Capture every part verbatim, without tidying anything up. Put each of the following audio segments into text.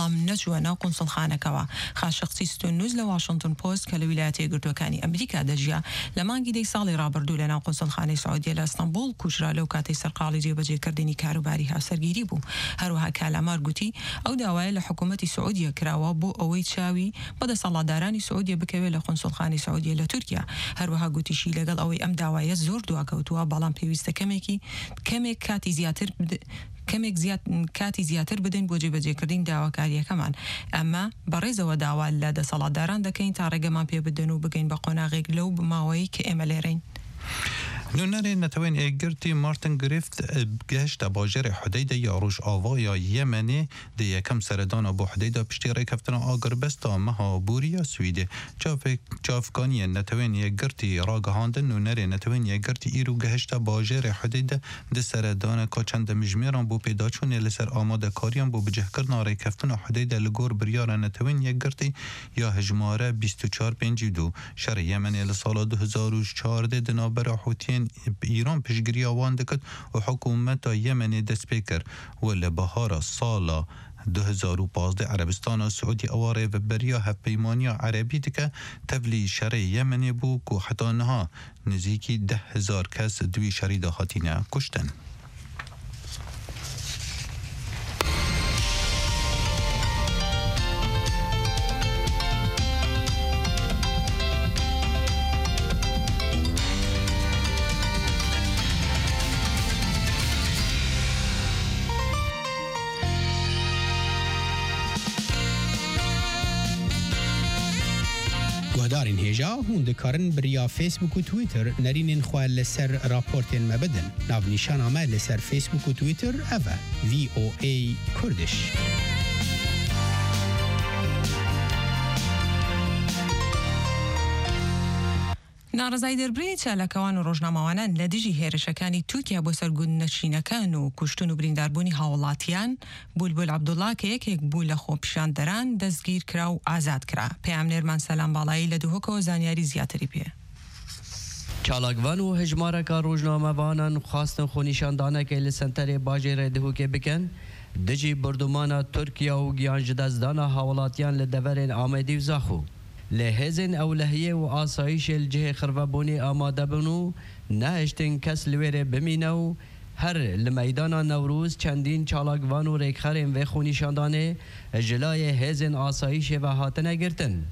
بەڵام نەچووە ناو قونسڵخانەکەوە. خاشقچی ستونوز لە واشنگتن پۆست کە لە ویلایەتە یەکگرتووەکانی ئەمریکا دەژیا، لە مانگی دەی ساڵی ڕابردوو لە ناو قونسڵخانەی سعودیە لە ئەستەنبوڵ کوژرا، لەو کاتەی سەرقاڵی جێبەجێکردنی کاروباری هاوسەرگیری بوو. هەروەها کالامار گوتی، ئەو داوایە لە حکوومەتی سعودیە کراوە بۆ ئەوەی چاوی بە دەسەڵاتدارانی سعودیە بکەوێت لە قونسڵخانەی سعودیە لە تورکیا. هەروەها گوتیشی، لەگەڵ ئەوەی ئەم داوایە زۆر دواکەوتووە، بەڵام پێویستە کەمێکی، کەمێک کاتی زیاتر بد-، کەمێک زیات-، کاتی زیاتر بدەین بۆ جێبەجێکردنی داواکاریەکەمان. ئەمە بەڕێزەوە داوا لە دەسەڵاتداران دەکەین تا ڕێگەمان پێ بدەن و بگەین بە قۆناغێک لەو ماوەی کە ئێمە لێرەین. نوێنەرێ نەتەوەین ئێگرتی مارتن گریفت گەهشتە باژێرê Hudeyde ya Rojavaya Yemenê dê yekem seredana bo Hudeyda piştî rêkeftina agirbesta meha borî ya Swîdê. Çavê-, çavkaniyên Netewên Yekgirtî ragihandin, nûnerê Netewên Yekgirtî îro gehişte bajêrê Hudeyde di seredaneka çend demjimêran bo pêdaçûnê li ser amadekariyan bo bicihkirina rêkeftina Hudeyde li gor biryara Netewên Yekgirtî ya hejmare bîst û çar pêncî û du. Şerê Yemenê li sala du hezar û çardeh di navbera Hûtiyên Îran piştgiriya wan dikit û hikûmeta Yemenê dest pê kir û li bihara sala du hezar û pazdeh Erebistana Siûdî ewa rêveberiya Hevpeymaniya Erebî dike, tevlî şerê Yemenê bû ku heta niha nizîkî deh hezar kes di wî şerî de hatine kuştin. Guhdarên hêja, hûn dikarin bi riya Facebook û Twitter nerînên xwe li ser raportên me bidin. Navnîşana me li ser Facebook û Twitter ev e, V O A Kurdish. ناڕەزایی دەربڕینی چالاکەوان و ڕۆژنامەوانان لە دژی هێرشەکانی تورکیا بۆ سەر گوندنشینەکان و کوشتن و برینداربوونی هاوڵاتیان، بولبول عەبدوڵا کە یەکێک بوو لە خۆپیشاندەران، دەستگیر کرا و ئازاد کرا. پەیامنێرمان سەلام باڵایی لە دهۆکەوە زانیاری زیاتری پێ. چالاکڤان û hejmareka rojnamevanan xwestin xwenîşandanekê li senterê bajêrê Dihokê bikin, dijî bordûmana Tirkiye û giyanjidestdana hawlatiyan li deverên Amedî û Zaxo. Lê hêzên ewlehiyê û asayîşê li cihê xirvebûnê amade bûn û nehiştin kes li wêrê bimîne û her li meydana Newroz çendîn çalakvan û rêkxerên vê xwenîşandanê ji layê hêzên asayîşê ve hatine girtin.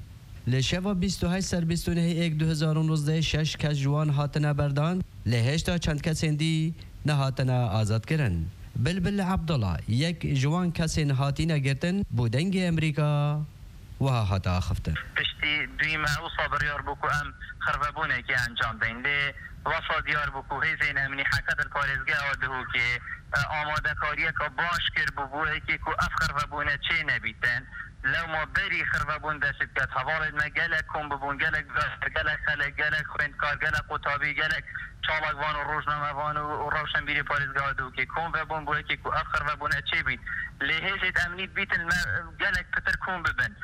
Li şeva bîst û heşt ser bîst û nehê êk du hezar û nozdeh şeş kes ji wan hatine berdan, lê hêşta çend kesên dî nehatine azadkirin. Bilbil Abdullah, yek ji wan kesên hatine girtin, bo Dengê Amerîka wiha hate axiftin. Piştî duyî me wisa biryar bû ku em xirvebûnekê encam deyn. Lê wesa diyar bû ku hêzên emnî heke di parêzgeha Dihokê, e, amadekariyeke baş kir bû bo yekê ku ev xirvebûne çê nebîtin. Lewma berî xirvebûn dest pê diket, hevalên me gelek kom bibûn, gelek berxwer, gelek xelk, gelek xwendkar, gelek qutabî, gelek çalakvan û rojnamevan û, û rewşenbîrê parêzgeha Dihokê kom vebûn bo yekê ku ev xirvebûne çêbît. Lê hêzêd emnî dibîtin me gelek pitir kom bibin.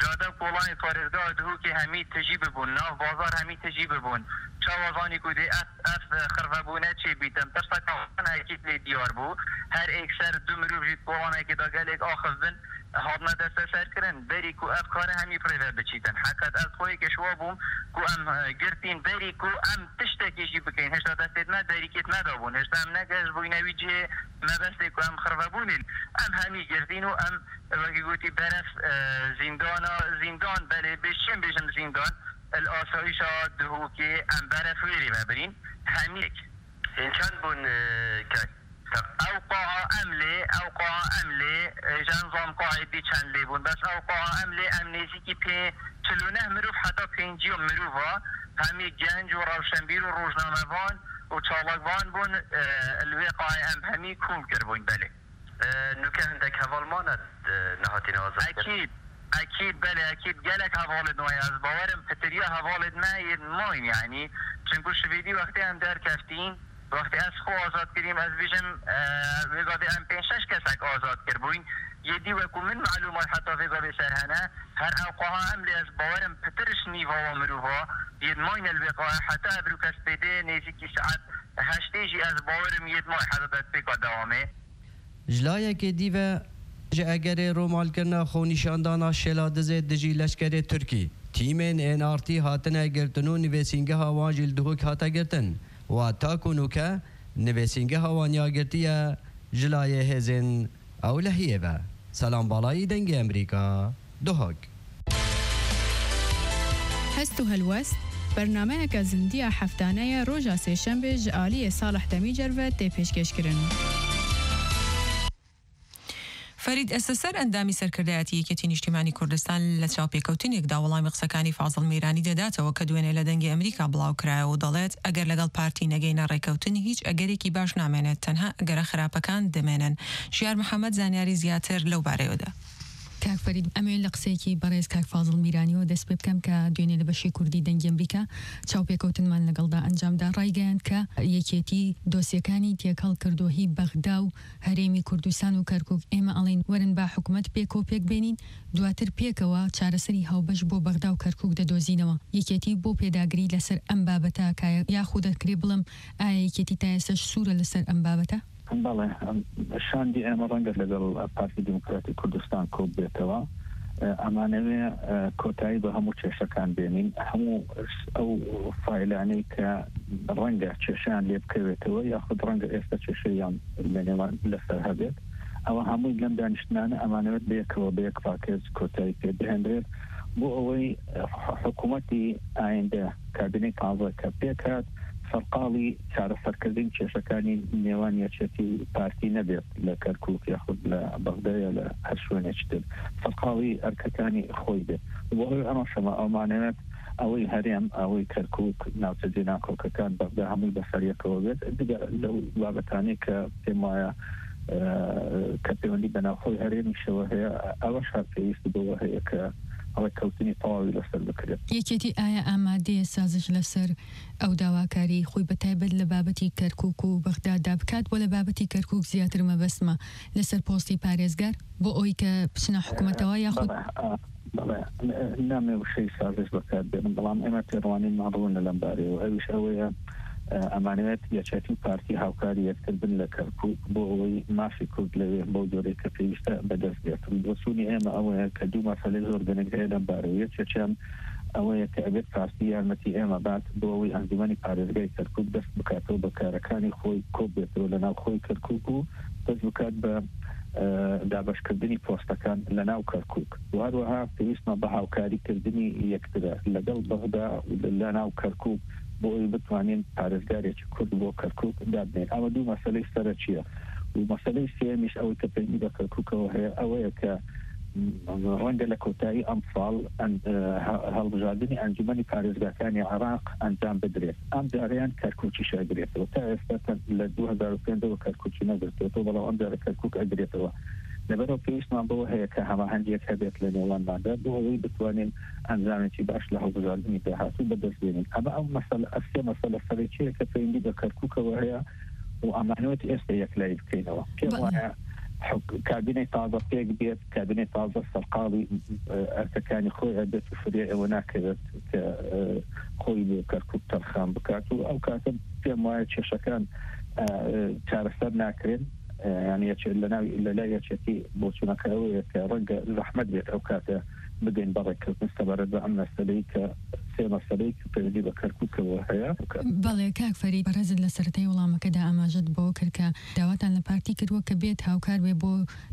Cade û kolanê parêzgeha Dihokê hemî tijî bibûn, nav bazar hemî tijî bibûn. Çawa zanî ku dê ev, ev xirvebûne çêbîtin? Tirseka wan hekî lê diyar bû. Her êkser du mirov jî di kolanekê de gelek axif bin. Hatine desteserkirin, berî ku ev kare hemî bi rê ve biçîtin. Heqet ez xwe yekê ji wa bûm ku em, e, girtîn, berî ku em tiştekî jî bikeyn. Hêşta destêd me derîkêt nedabûn. Hêşta em negehiştbûyne wî cihê mebestê ku em xirvebûnên. Em hemî girtîn û em, wekî gotî, beref, e, zîndana, zîndan, belê bê çi bêjim zîndan, li asayîşa Dihokê em beref wêrê ve birîn. Hemî yek. Hîn çend bûn, e, ke-, ke- Ew qaha em lê, ew qaha em lê, e, ji nizam qahê dî çend lê bûn. Bes ew qaha em lê, em nêzîkî pê-, çil û neh mirov heta pêncî mirova, hemî genc û rewşenbîr û rojnamevan û çalakvan bûn, e, li wê qahê em hemî kom kiribûn, belê. E, nûke hindek heval mane, e, nehatîne azad kirin? Ekîd, ekîd, belê, ekîd. Gelek hevalên we ye. Ez bawerim pitiriya hevalên me yên mayîn, yanî. Çinku şivêdî wextê em derkeftîn, wextê ez xwe azad kirîm, ez bêjim, e, vê gavê em pênc şeş kesek azad kiribûyn. Yê dî wekû min melûmat heta vê gavê ser hene. Her ew qaha em lê, ez bawerim pitir ji nîva wa mirova yên mayîne li wê qahê heta evro kes pê dê nêzîkî saet heştê jî ez bawerim yên may heta destpêka dewamê. Ji layekê dî ve Ji egerê romalkirina xwenîşandana Şêladizê dijî leşkerê Tirkî, tîmên N R T hatine girtin û nivîsîngeha wan jî li Duhok hate girtin. Wa ta ku nûke nivîsîngeha wan ya girtiye ji layê hêzên ewlehiyê ve. Selam Balayî, Dengê Emerîka, Duhok. Hest û Helwest, bernameyeke zindiya heftaneye roja sêşembê ji aliyê Salih Demîcer ve tê pêşkêşkirin. فەرید ئەسەسەر، ئەندامی سەرکردایەتی یەکێتی نیشتیمانی کوردستان، لە چاوپێکەوتنێکدا وەڵامی قسەکانی فازڵ میرانی دەداتەوە کە دوێنێ لە دەنگی ئەمریکا بڵاوکرایەوە و دەڵێت، ئەگەر لەگەڵ پارتی نەگەینە ڕێکەوتن، هیچ ئەگەرێکی باش نامێنێت، تەنها ئەگەرە خراپەکان دەمێنن. ژیار محەممەد زانیاری زیاتر لەو بارەیەوە دا. کاک فەرید، ئەمەوێت لە قسەیەکی بەڕێز کاک فازڵ میرانیەوە دەست پێ بکەم کە دوێنێ لە بەشی کوردی دەنگی ئەمریکا چاوپێکەوتنمان لەگەڵدا ئەنجامدا. ڕایگەیاند کە یەکێتی دۆسیەکانی تێکەڵ کردووە هی بەغدا و هەرێمی کوردستان و کەرکووک. ئێمە ئەڵێن وەرن با حکوومەت پێکەوە پێک بێنین، دواتر پێکەوە چارەسەری هاوبەش بۆ بەغدا و کەرکووک دەدۆزینەوە. یەکێتی بۆ پێداگری لەسەر ئەم بابەتە کایە، یاخود دەکرێ بڵم ئایا یەکێتی تا ئێستاش سوورە لەسەر ئەم بابەتە؟ بەڵێ، ئەم شاندی ئێمە ڕەنگە لەگەڵ پارتی دیموکراتی کوردستان کۆک بێتەوە. ئەمانەوێ کۆتایی بە هەموو کێشەکان بێنین، هەموو ئەو فایلانەی کە ڕەنگە کێشەیان لێ بکەوێتەوە، یاخود ڕەنگە ئێستا کێشەیان لە نێوان لەسەر هەبێت، ئەوە هەمووی لەم دانیشتنانە ئەمانەوێت بەیەکەوە، بە یەک پاکێج کۆتایی پێ بهێنرێت، بۆ ئەوەی حکوومەتی ئایندە، کابینەی تازە کە پێکات، سەرقاڵی چارەسەرکردنی کێشەکانی نێوان یەکێتی و پارتی نەبێت لە کەرکووک یاخود لە بەغدایە لە هەر شوێنێکی تر، سەرقاڵی ئەرکەکانی خۆی بێت. بۆ ئەوەی ئەمەشەمە ئەومانەوێت ئەوەی هەرێم، ئەوەی کەرکووک، ناوچە جێناکۆکەکان، بەغدا هەمووی بەسەریەکەوە بێت. جگە لەو بابەتانەی کە پێم وایە، ئە، کە پەیوەندی بە ناوخۆی هەرێمیشەوە هەیە، ئەوەش هەر پێویست بەوە هەیە کە ڕێککەوتنی تەواوی لەسەر بکرێت. یەکێتی ئایا ئامادەیە سازش لەسەر ئەو داواکاری خۆی بە تایبەت لە بابەتی کەرکووک و بەغداددا بکات، بۆ لە بابەتی کەرکووک زیاتر مەبەستمە لەسەر پۆستی پارێزگار بۆ ئەوەی کە بچنە حکوومەتەوە یاخود؟ بەڵێ، ئا، بەڵێ، نامێ وشەی سازش بەکار بێنم، بەڵام ئێمە تێڕوانینمان ڕوونە لەم بارەیەوە. ئەویش ئەوەیە، ئە، ئەمانەوێت یەکێتی و پارتی هاوکاری یەکتر بن لە کەرکووک بۆ ئەوەی مافی کورد لەوێ بەو جۆرەی کە پێویستە بەدەست بێت. بۆچوونی ئێمە ئەوەیە کە دوو مەسەلەی زۆر گرنگ هەیە لەم بارەیە. یەکێکیان ئەوەیە کە ئەبێت پارتی یارمەتی ئێمە بات بۆ ئەوەی ئەنجومەنی پارێزگای کەرکووک دەست بکاتەوە بە کارەکانی خۆی، کۆ بێتەوە لە ناو خۆی کەرکووک و دەست بکات بە، ئە، دابەشکردنی پۆستەکان لە ناو کەرکووک. و هەروەها پێویستمان بە هاوکاریکردنی یەکترە لەگەڵ بەغدا و لە ناو کەرکووک بۆ ئەوی بتوانین پارێزگارێکی کورد بۆ کەرکووک دابنێین. ئەمە دوو مەسەلەی سەرەکیە. و مەسەلەی سێیەمیش ئەوەی کە پەیوەندی بە کەرکووکەوە هەیە، ئەوەیە کە ڕەنگە لە کۆتایی ئەم ساڵ ئەن-، هە-، هەڵبژاردنی ئەنجومەنی پارێزگاکانی عێراق ئەنجام بدرێت. ئەم جارەیان کەرکووکیش ئەگرێتەوە. تا ئێستا لە دوو هەزار و پێنج ەوە کەرکووکی نەگرتووەتەوە، بەڵام ئەم جارە کەرکووک ئەگرێتەوە. لەبەرەوە پێویستمان بەوە هەیە کە هەماهەنگیەک هەبێت لە نێوانماندا بۆ ئەوەی بتوانین ئەنجامێکی باش لە هەڵبژاردنی داهاتوو بەدەست بێنین. ئەمە ئەو مەسەلە، ئەو سێ مەسەلە سەرەکیەیە کە پەیوەندی بە کەرکووکەوە هەیە و ئەمانەوێت ئێستا یەکلایی بکەینەوە. پێم بەڵێ. وایە حک-، کابینەی تازە پێک بێت، کابینەی تازە سەرقاڵی، ئە، ئەرکەکانی خۆی ئەبێت و فرێ ئەوە ناکەوێت کە، ئە، خۆی بۆ کەرکووک تەرخان بکات و ئەو کاتە پێم وایە کێشەکان، ئە، چارەسەر ناکرێن. ئە، یعنی یەکێ-، لە ناوی، لە لای یەکێتی بۆچوونەکە ئەوەیە کە ڕەنگە زەحمەت بێت ئەو کاتە بگەین بە ڕێککەوتن سەبارەت بە ئەم مەسەلەی کە سێ مەسەلەی کە پەیوەندی بە کەرکووکەوە هەیە. بەڵێ، کاک فەرید، بەڕێزت لە سەرەتای وەڵامەکەدا ئاماژەت بۆ کرد کە داواتان لە پارتی کردووە کە بێت هاوکار بێ بۆ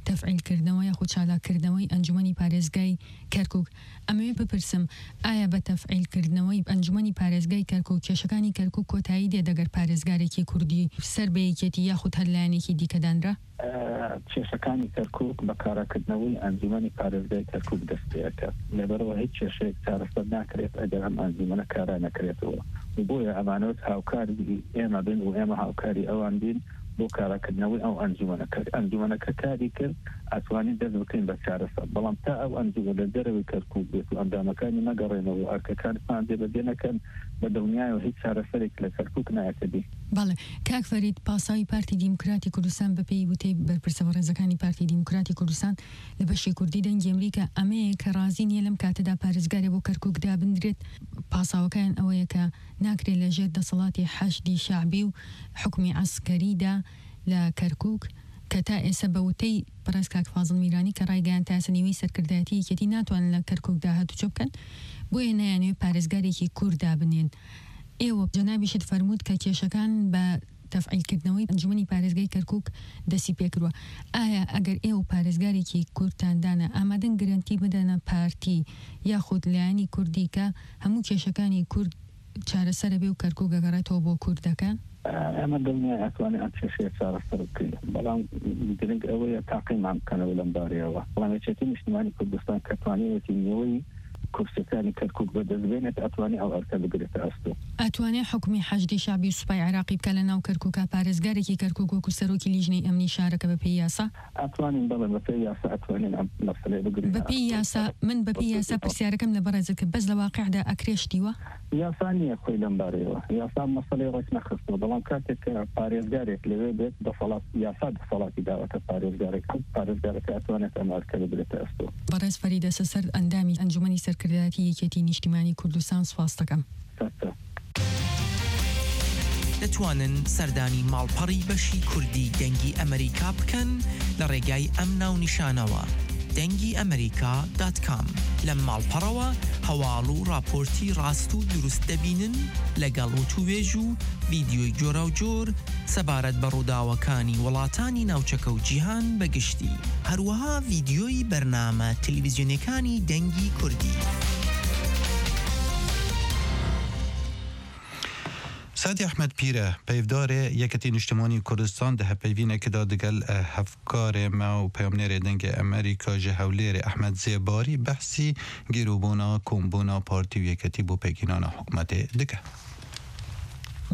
تەفعیلکردنەوە یاخود چالاککردنەوەی ئەنجومەنی پارێزگای کەرکووک. ئەمەوێت بپرسم، ئایا بە تەفعیلکردنەوەی ئەنجومەنی پارێزگای کەرکووک کێشەکانی کەرکووک کۆتایی دێت ئەگەر پارێزگارێکی کوردی سەر بە یەکێتی یاخود هەر لایەنێکی دیکە دانرا؟ ئە، کێشەکانی کەرکووک بە کاراکردنەوەی ئەنجومەنی پارێزگای کەرکووک دەست پێ ئەکات. لەبەرەوە هیچ کێشەیەک چارەسەر ناکرێت ئەگەر ئەم ئەنجومەنە کارا نەکرێتەوە. و بۆیە ئەمانەوێت هاوکاری ئێمە بن و ئێمە هاوکاری ئەوان بین بۆ کاراکردنەوەی ئەو ئەنجومەنەکە. ئەنجومەنەکە کاری کرد، ئەتوانین دەست بکەین بە چارەسەر. بەڵام تا ئەو ئەنجومەنە دەرەوەی کەرکووک بێت و ئەندامەکانی نەگەڕێنەوە و ئەرکەکانمان جێبەجێ نەکەن، بە دڵنیایەوە هیچ چارەسەرێک لە کەرکووک نایەتە دی. بەڵێ، کاک فەرید، پاساوی پارتی دیموکراتی کوردستان، بە پێی وتەی بەرپرسە بەڕێزەکانی پارتی دیموکراتی کوردستان لە بەشی کوردی دەنگی ئەمریکا، ئەمەیە کە ڕازی نییە لەم کاتەدا پارێزگارێ بۆ کەرکووک دابندرێت. پاساوەکەیان ئەوەیە کە ناکرێت لە ژێر دەسەڵاتی حەشدی شەعبی و حکومی عەسکەریدا لە کەرکووک کە تا ئێستا بە وتەی بەڕێز کاک فازڵ میرانی کە ڕایگەیاند تا ئێستا نیوەی سەرکردایەتی یەکێتی ناتوانن لە کەرکووک داهاتوو چۆ بکەن، بۆیە نایانەوێت پارێزگارێکی کورد دابنێن. ئێوە جەنابیشت فەرمووت کە کێشەکان بە تەفعیلکردنەوەی ئەنجومەنی پارێزگای کەرکووک دەستی پێکردووە. ئایا ئەگەر ئێوە پارێزگارێکی کوردتان دانا، ئامادەن گرنتی بدەنە پارتی یاخود لایەنی کوردی کە هەموو کێشەکانی کورد چارەسەرە بێ و کەرکووک گەگەڕێتەوە بۆ کوردەکان؟ ئێمە دڵنیای ئەتوانین ئەم کێشەیە چارەسەر بکەین، بەڵام گرنگ ئەوەیە تاقیمان بکەنەوە لەم بارەیەوە. بەڵام یەکێتی نیشتیمانی کوردستان کە توانیوێتی نیوەی کورسەکانی کەرکووک بەدەست بێنێت، ئەتوانی ئەو ئەرکە بگرێتە ئەستۆ. ئەتوانێ حکومی حەشدی شعبی و سوپای عێراقی بکە لە ناو کەرکووکا پارێزگارێکی کەرکووک وەکو سەرۆکی لیژنەی ئەمنی شارەکە بە پێی یاسا؟ ئەتوانین، بەڵێ، بە پێی یاسا ئەتوانین ئەم مەسەلەیە بگرین. بە پێی یاسا، من بە پێی یاسا پرسیارەکەم لە بەڕێزت کرد، بەس لە واقعدا ئەکرێ شتیوە؟ یاسا نییە خۆی لەم بارەیەوە. یاسا مەسەلەی ڕێک نەخستووە، بەڵام کاتێک کە پارێزگارێک لەوێ بێت، دەسەڵات، یاسا دەسەڵاتی داوەتە پارێزگارەکە، پارێزگارەکە ئەتوانێت ئەم ئەرکە بگرێتە ئەستۆ. بەڕێز فەریدە سەسەر، ئەندامی ئەنجومەنی سەرکردایەتی یەکێتی نیشتیمانی کوردستان، سوپاس دەکەم. سەر سەر. دەتوانن سەردانی ماڵپەڕی بەشی کوردی دەنگی ئەمریکا بکەن لە ڕێگای ئەم ناونیشانەوە، دەنگی ئەمریکا دات کام. لەم ماڵپەڕەوە هەواڵ و ڕاپۆرتی ڕاست و دروست دەبینن، لەگەڵ وتووێژ و ڤیدیۆی جۆراوجۆر سەبارەت بە ڕووداوەکانی وڵاتانی ناوچەکە و جیهان بە گشتی. هەروەها ڤیدیۆی بەرنامە تەلەڤیزیۆنیەکانی دەنگی کوردی. سەعدی ئەحمەد پیرە، پەیڤدارێ یەکێتی نیشتیمانی کوردستان، di hevpeyvînekê de digel hevkarê me û peyamnêrê Dengê Emerîka ji Hewlêrê Ehmed Zêbarî behsî gêrûbûna kombûna partî û yeketî bo pêkînana hikûmetê dike.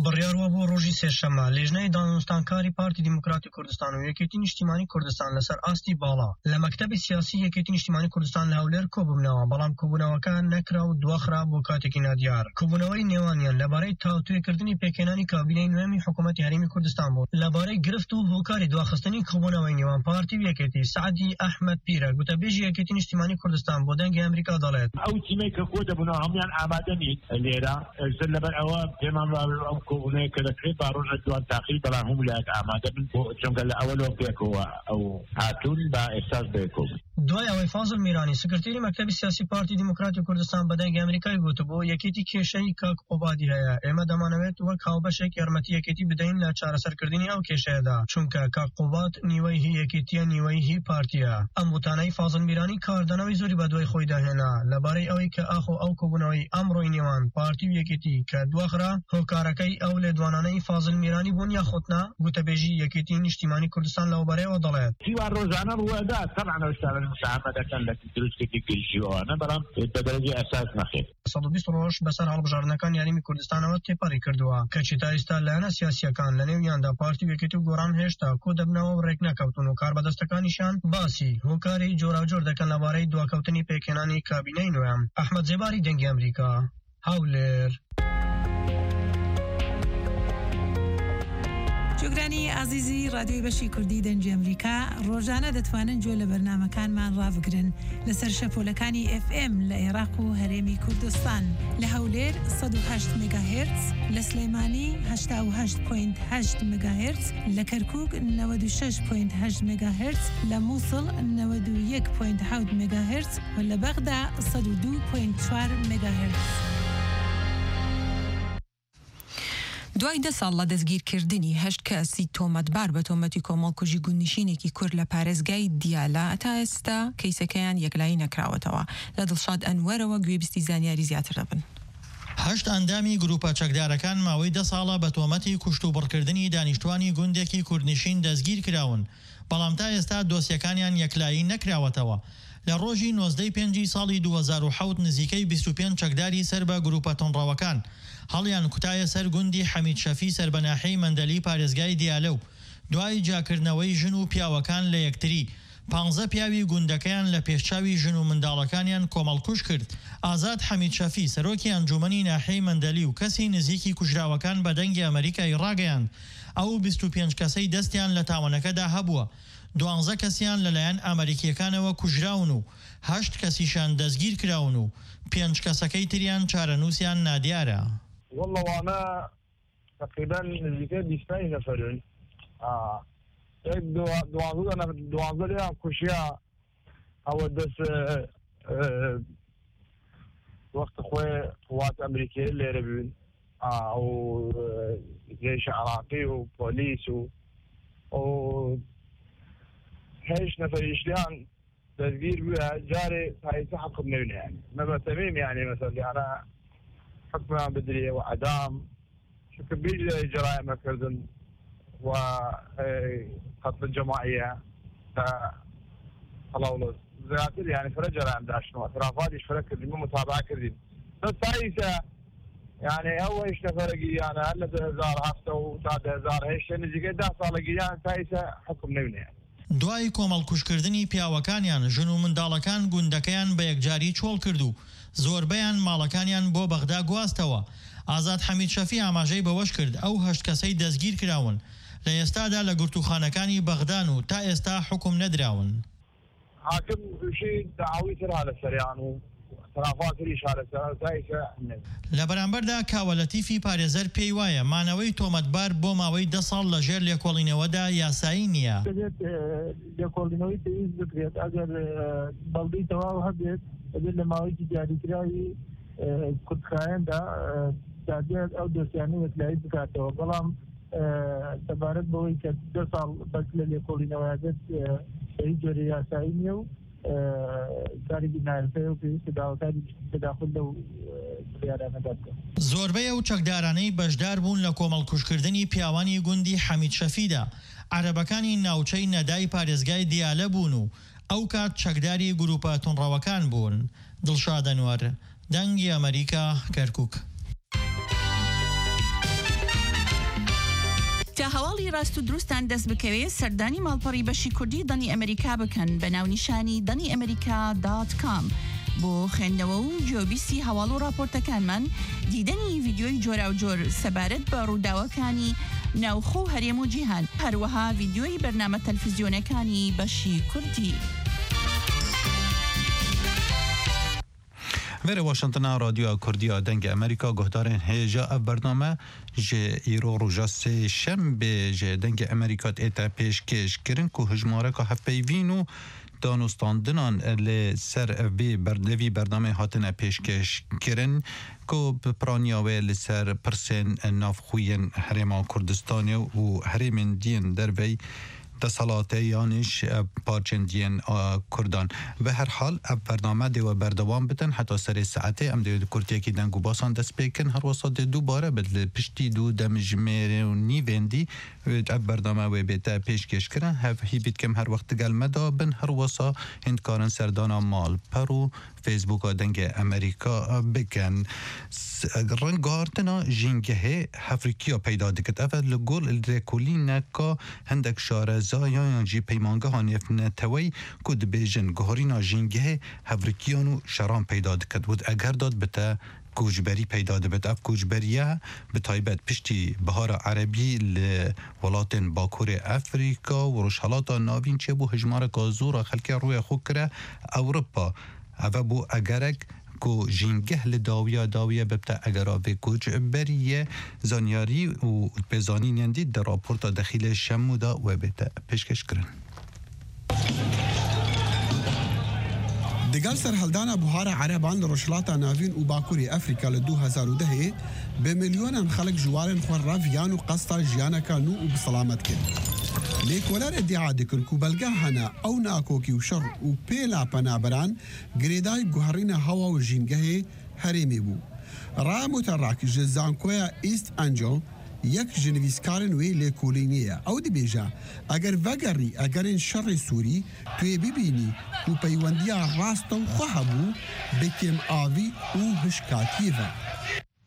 بڕیار وە بۆ ڕۆژی سێشەممە لێژنەی دانوستانکاری پارتی دیموکراتی کوردستان و یەکێتی نیشتیمانی کوردستان لەسەر ئاستی باڵا لە مەکتەبی سیاسی یەکێتی نیشتیمانی کوردستان لە هەولێر کۆببنەوە، بەڵام کۆبوونەوەکە نەکرا و دواخرا بۆ کاتێکی نادیار. کۆبوونەوەی نێوانیان لەبارەی تاوتوێکردنی پێکهێنانی کابینەی نوێمی حکوومەتی هەرێمی کوردستان بوو. لەبارەی گرفت و هۆکاری دواخستنی کۆبوونەوەی نێوان پارتی و یەکێتی، سەعدی ئەحمەد پیرە، گوتەبێژی یەکێتی نیشتیمانی کوردستان بۆ دەنگی ئەمریکا دەڵێت. ئەو تیمەی کە کۆ دەبوونەوە هەمویان ئامادە نین لێرە. ئەوسەر لەبەر ئەوە پێمان وابێ ئەم کۆبوونەیە کە دەکرێت با ڕۆژە دوان تاقی، بەڵام هەموو لایەک ئامادە بن بۆ، چونکە لە ئەوەلۆ پێکەوە ئەو هاتوون، با ئێستاش بێکۆ بن. دوای ئەوەی فازل میرانی، سکرتێری مەکتەبی سیاسی پارتی دیموکراتی کوردستان بە دەنگی ئەمریکای گوتبوو، یەکێتی کێشەی کاک قوبادی هەیە، ئێمە دەمانەوێت وەک هاوبەشێک یارمەتی یەکێتی بدەین لە چارەسەرکردنی ئەو کێشەیەدا، چونکە کاک قوباد نیوەی هی یەکێتیە، نیوەی هی پارتیە. ئەم وتانەی فازل میرانی کاردانەوەی زۆری بە دوای خۆی داهێنا لەبارەی ئەوەی کە ئاخۆ ئەو کۆبوونەوەی ئەمڕۆی نێوان پارتی و یەکێتی کە دواخرا، هۆکارەکەی ئەو لێدوانانەی فازل میرانی بوون یاخود نا، گوتەبێژی یەکێتی نیشتیمانی کوردستان لەو بارەیەوە دەڵێت. سیوار ڕۆژانە ڕوەدا، تەبعەن ئەو شتانە مساهمە دەکەن لە دروستکردنی گرژیەوانە، بەڵام بە دەرەجەی ئەساس نەخێت. سەد و بیست ڕۆژ بەسەر هەڵبژاردنەکان یاریمی کوردستانەوە تێپەڕی کردووە، کەچی تا ئێستا لایەنە سیاسیەکان، لە نێویاندا پارتی و یەکێتی و گۆڕان، هێشتا کۆ دەبنەوە و ڕێک نەکەوتون و کاربەدەستەکانیشان باسی هۆکاری جۆراوجۆر دەکەن لەبارەی دواکەوتنی پێکهێنانی کابینەی نوێ. ئەحمەد زێباری، دەنگی ئەمریکا، هەولێر. جۆگرانی ئازیزی ڕادیۆی بەشی کوردی دەنگی ئەمریکا، ڕۆژانە دەتوانن جۆ لە بەرنامەکانمان ڕابگرن لەسەر شەپۆلەکانی ئێف ئێم لە عێراق و هەرێمی کوردستان، لە هەولێر سەد و هەشت مێگاهێرتز، لە سلێمانی هەشتا و هەشت پۆینت هەشت مێگاهێرتز، لە کەرکووک نەوەد و شەش پۆینت هەشت مێگاهێرتز، لە مووسڵ نەوەد و یەک پۆینت حەوت مێگاهێرتز و لە بەغدا سەد و دوو پۆینت چوار مێگاهێرتز. دوای دە ساڵ لە دەستگیرکردنی هەشت کەسی تۆمەتبار بە تۆمەتی کۆمەڵکوژی گوندنشینێکی کورد لە پارێزگای دیالە، تا ئێستا کەیسەکەیان یەکلایی نەکراوەتەوە. لە دڵشاد ئەنوەرەوە گوێبیستی زانیاری زیاتر دەبن. هەشت ئەندامی گروپە چەکدارەکان ماوەی دە ساڵە بە تۆمەتی کوشت و بڕکردنی دانیشتوانی گوندێکی کوردنشین دەستگیر کراون، بەڵام تا ئێستا دۆسیەکانیان یەکلایی نەکراوەتەوە. لە ڕۆژی نۆزدەی پێنجی ساڵی دوو هەزار و حەوت نزیکەی بیست و پێنج چەکداری سەر بە گروپە تونڕەوەکان هەڵیان کوتایە سەر گوندی حەمید شەفی سەر بە ناحیەی مەندەلی پارێزگای دیالە و دوای جیاکردنەوەی ژن و پیاوەکان لە یەکتری، پانزە پیاوی گوندەکەیان لە پێشچاوی ژن و منداڵەکانیان کۆمەڵکوژ کرد. ئازاد حەمید شەفی، سەرۆکی ئەنجومەنی ناحیەی مەندەلی و کەسی نزیکی کوژراوەکان بە دەنگی ئەمریکای ڕاگەیاند، ئەو بیست و پێنج کەسەی دەستیان لە تاوانەکەدا هەبووە، دوانزە کەسیان لەلایەن ئەمریکیەکانەوە کوژراون و هەشت کەسیشان دەستگیر کراون و پێنج کەسەکەی تریان چارەنووسیان نادیارە. والله وانە تقریباً نزیکەی بیست نەفەرن. ئا، Tek dua-, duwanzeh tane, duwanzeh lêran kuşiya, ew dest, e, e, wextê xwe quwat Amerîkê lêre bûn. A, û, e, ceyşê Iraqî û polîs û, û heşt nefer îşleyan destgîr bûye, carê tayîse hekum newne yani. Me be temîm yani, mesela, yani hukman bidiriye ve edam. Çünkü bir ceraime kirdin ve, e, katlı cemaiye, e, halawlı. Ziyade yani fire ceraim daştım. Etrafat iş fire kirdim, mutabaa kirdim. Ve tayîse yani ew heşt neferekî yani hele du hezar heft û ta du hezar heşt, yani zîke deh salekî yani tayîse hekum newne yani. دوای کۆمەڵکوژکردنی پیاوەکانیان، ژن و منداڵەکان گوندەکەیان بە یەکجاری چۆڵ کرد و زۆربەیان ماڵەکانیان بۆ بەغدا گواستەوە. ئازاد حەمید شەفی ئاماژەی بەوەش کرد، ئەو هەشت کەسەی دەستگیر کراون، لە ئێستادا لە گرتووخانەکانی بەغدان و تا ئێستا حوکم نەدراون. Hakim û şî dawî tira li ser yan û tirafa tirî şareser dayîse ne. لە بەرامبەردا کاوە لەتیفی پارێزەر پێی وایە مانەوەی تۆمەتبار بۆ ماوەی دە ساڵ لە ژێر لێکۆڵینەوەدا یاسایی نییە. دەبێت، ئە، لێکۆڵینەوەی پێویست بکرێت. ئەگەر، ئە، بەڵگەی تەواو هەبێت، دەبێت لە ماوەیەکی دیاریکراوی، ئە، کورتخایەندا، ئە، دادگای ئەو دۆسیانە یەکلایی بکاتەوە. بەڵام، ئە، سەبارەت بەوەی کە دە ساڵ بەس لە لێکۆڵینەوەیە بێت، ئە، بە هیچ جۆرە یاسایی نییە و، ئە، کارێکی نایاسایە و پێویستە داواکاری تەداخول لەو، ئە، بڕیارانەدا بکەن. زۆربەی ئەو چەکدارانەی بەشدار بوون لە کۆمەڵکوژکردنی پیاوانی گوندی حەمید شەفیدا، عەرەبەکانی ناوچەی نەدای پارێزگای دیالە بوون و ئەو کات چەکداری گروپە تونڕەوەکان بوون. دڵشاد ئەنوەر، دەنگی ئەمریکا، کەرکووک. تا هەواڵی ڕاست و دروستان دەست بکەوێ، سەردانی ماڵپەڕی بەشی کوردی دەنی ئەمریکا بکەن بە ناونیشانی دەنی ئەمریکا دات کام. بۆ خوێندنەوە و گوێبیستی هەواڵ و راپۆرتەکانمان، دیدەنی ڤیدیۆی جۆراوجۆر سەبارەت بە ڕووداوەکانی ناوخۆ و هەرێم و جیهان، هەروەها ڤیدیۆی بەرنامە تەلفزیۆنەکانی بەشی کوردی. Vêrê Washingtona Radyoya Kurdiya Dengê Amerîka guhdarên hêja ev bername ji îro roja sêşembê ji Dengê Amerîka dête pêşkêş kirin ku hijmareka hevpeyvîn û danûstandinan li ser vê ber-, li vî bernameyê hatine pêşkêş kirin ku bi piraniya wê li ser pirsên navxwe yên Herêma Kurdistanê û herêmên diyên derveyî desthilatê yanî ji, e, parçên diyên, e, Kurdan. Bi her hal, ev bername dê we berdewam bitin heta serê saetê. Em dê di kurtiyekî deng û basan dest pê kin. Her wesa dê dubare bit li piştî du demjimêrê û nîvên dî, e, ev bername wê bête pêşkêş kirin. Hev hîvî dikim her wext digel me de bin. Her wesa hîn dikarin serdana malper û Facebooka Dengê Amerîka bikin. S-, ringartina jîngehê hevrikiya peyda dikit. Ev e li gor lêkolîneka hindek şarezayan yan jî peymangeha nêvneteweyî ku dibêjin guherîna jîngehê hevrikiyan û şeran peyda dikit. Wit eger dat bite koçberî peyda dibit. Ev koçberiye bi taybet piştî Bihara Erebî li welatên Bakurê Efrîka û Rojhelata Navîn çêbû, hijmareka zor a xelkê rûyê xwe kire Ewropa. Ev bû egerek ku jîngeh li dawiya dawiya bibte egera vê koçberiyê. Zanyarî û pêzanînên dî di raporta dexîlê Şemû de we bête pêşkêş kirin. Digel serhildana Buhara Ereban li Rojhilata Navîn û Bakurê Efrîka li du hezar û dehê, bi milyonan xelk ji warên xwe reviyan û qesta jiyaneka nû û bi selamet kir. Lêkoler îdia dikin ku belge hene ew nakokî û şer û pêla penaberan girêdayî guherîna hewa û jîngehê herêmê bû. Raya Muterak ji Zankoya East Angel yek ji nivîskarên wê lêkolînê ye. Ew dibêje, eger vegerî egerên şerê Sûrî, tu yê bibînî ku peywendiya rast û xwe hebû bi kêmavî û hişkatiyê ve.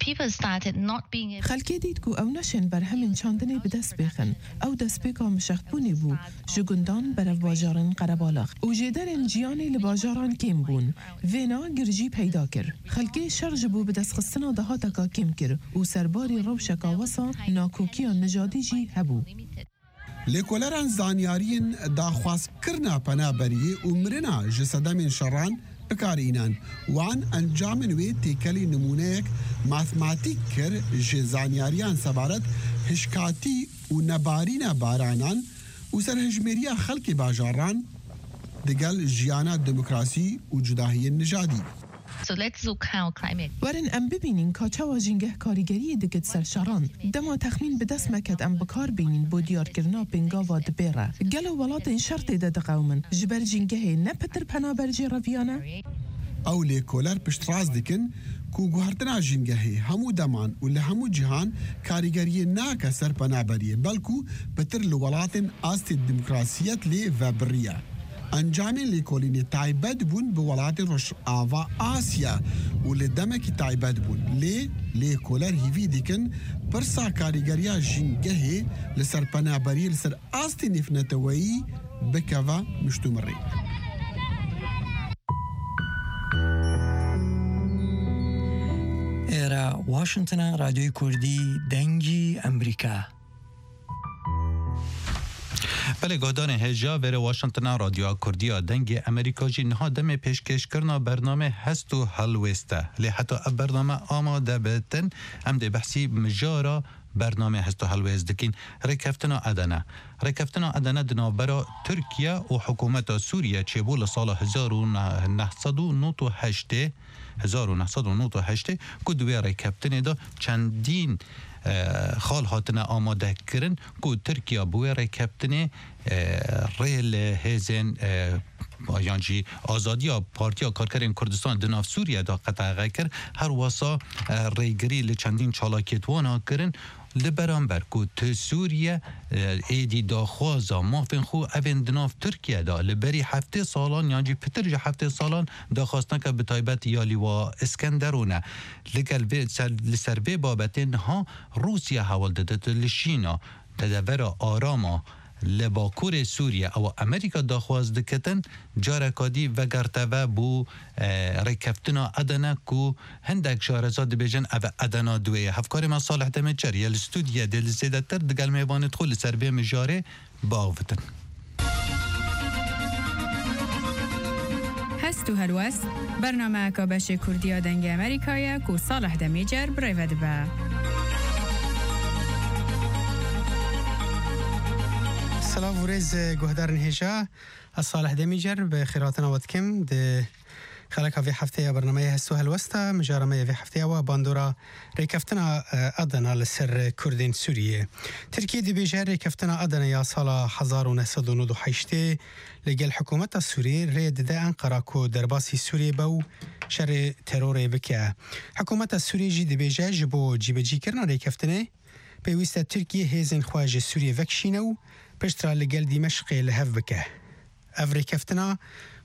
People started not being able Xelkê dît ku ew neşên berhemên çandinê bi dest bêxin. Ew destpêka mişextbûnê bû ji gundan berev bajarên qerebalix û jêderên jiyanê li bajaran kêm bûn. Vêna girjî peyda kir. Xelkê şer ji bo bidestxistina dahateka kêm kir û serbarî rewşeka wesa nakokiya nijadî jî hebû. Lêkoleran zanyariyên daxwazkirina penaberiyê û mirina ji sedemên şeran bi kar înan. Wan encamên wê têkelî nimûneyek matematîk kir ji zanyariyan sebaret hişkatî û nebarîna baranan û serhejmêriya xelkê bajaran digel jiyana demokrasî û cudahiyên nijadî. So let's look how climate Werin em bibînin ka çawa jîngeh karîgeriyê dike di ser şeran. Dema texmîn bi dest me ket em bi kar bînin bo diyarkirina pêngava dibê re. Gelo welatên şer tê de diqewimin, ji ber jîngehê ne pitir penaber jê reviya ne? Ew lêkoler piştrast dikin ku guhertina jîngehê hemû deman û li hemû cihan karîgeriyê nake ser penaberiyê, belku pitir li welatên astê demokrasiyet lê vebiriye. Encamên lêkolînê taybet bûn bi welatên Rojava Asya û li demekî taybet bûn. Lê lêkoler hîvî dikin pirsa karîgeriya jîngehê li ser penaberiyê li ser astê nêvneteweyî bikeve miştûmirê. Êre Washington e, Radyoyê Kurdî, Dengî Emerîka. Belê, guhdarên hêja, vêrê Washington e, Radyoya Kurdî ya Dengê Emerîka jî niha demê pêşkêşkirina bernamê Hest û Helwêst e. Lê heta ev bername amade bitin, em dê behsî mijara bernamê Hest û Helwêst dikîn. Rêkeftina Edene. Rêkeftina Edene di navbera Tirkiye û hikûmeta Sûriye çêbû li sala hezar û neh sed û nod û heştê, hezar û neh sed û nod û heştê, ku di wê rêkeftinê de çendîn, e, xal hatine amade kirin ku Tirkiye bi wê rêkeftinê, e, rê li hêzên, e, yan jî azadiya Partiya Karkerên Kurdistan di nav Sûriye de qedexe kir, her wesa, e, rêgirî li çendîn çalakiyêt wana kirin, li beramber ku tu Sûriye, e, êdî daxwaza mafên xwe evên di nav Tirkiye de li berî heftê salan yan jî pitir ji heftê salan daxwaz neke, bi taybet ya Lîwa Îskenderûn e. Li gel vê ser, li ser vê babetê niha Rûsya hewl dide tu li şîna tedevera arama li bakurê Sûriye, ew Amerîka daxwaz dikitin, careka dî vegerteve bo, e, rêkeftina Edene ku hindek şareza dibêjin ev Edena duwê ye. Hevkarê me Salih Demêçer ye li stûdiyê dê li zêdetir digel mêvanê xwe li ser vê mijarê biavitin. Hest û Helwest, bernameyeka beşê Kurdî ya Dengê Amerîka ye ku Salih Demêcer bi rê ve dibe. Silav û rêz, guhdarên hêja. Ez Salih Demîcer bi xêrhatina we dikim. Di xeleka vê hefteyê ya bernameyê Hest û Helwest de, mijara me ya vê hefteyê wa bandora rêkeftina, e, Adana li ser Kurdên Sûriyê. Tirkiye dibêje rêkeftina Adana ya sala hezar û neh sed û nod û heştê li gel hikûmeta Sûriyê rê dide Enqera ku derbasî Sûriyê be û şerê terorê bike. Hikûmeta Sûriyê jî dibêje ji bo cîbecîkirina rêkeftinê pêwîst e Tirkiye hêzên xwe ji Sûriyê vekişîne û piştre li gel Dîmeşqê li hev bike. Ev rêkeftina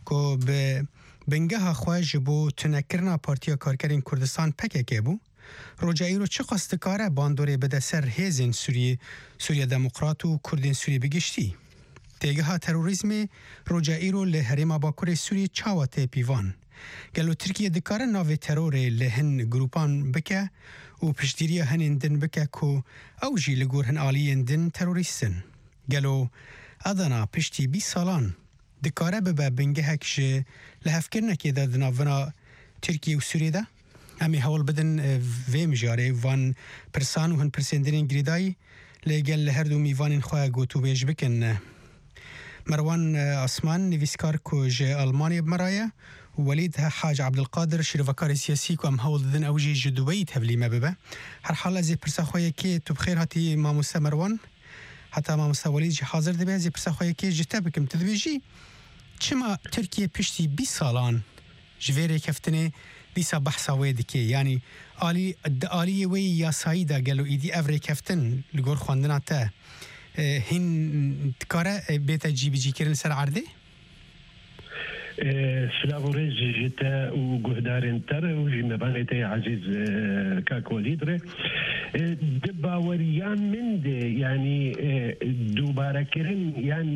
ku bi bingeha xwe ji bo tunekirina Partiya Karkerên Kurdistan P K K bû, roja îro çiqas dikare bandorê bide ser hêzên Sûriyê, Sûriya Demokrat û Kurdên Sûriyê bi giştî? Têgeha terorîzmê roja îro li herêma Bakurê Sûriyê çawa tê pîvan? Gelo Tirkiye dikare navê terorê li hin grûpan bike û piştgiriya hinên din bike ku ew jî li gor hin aliyên din terorîst in? Gelo Adana piştî bîst salan dikare bibe bingehek ji lihevkirinekê de di navbera Tirkiye û Sûriyê de? Em ê hewl bidin, e, vê mijarê, van pirsan û hin pirsên din ên girêdayî li gel li her du mîvanên xwe gotûbêj bikin. Merwan, e, Asman, nivîskar ku ji Almanyê bi me re ye, û Welîd Hac Abdulkadir, şîrovekarê siyasî ku em hewl didin ew jî ji Dubeyî tevlî me bibe. Herhal ez ê pirsa xwe yekê, tu bi xêr hatî mamoste Merwan. Heta mamoste Welîd jî hazir dibe, ez ê pirsa xwe yekê ji te bikim. Tu dibêjî, çima Tirkiye piştî bîst salan ji vê rêkeftinê dîsa behsa wê dike? Yanî alî, di aliyê wê yî yasayî de gelo îdî ev rêkeftin li gor xwendina te, e, hîn dikare, e, bête cîbicîkirin li ser erdê? E, silav û rêz ji te û guhdarên te re û ji mêvanê te yê ezîz, e, kak Welîd re. E, di baweriya min de, yanî, e, dubarekirin yan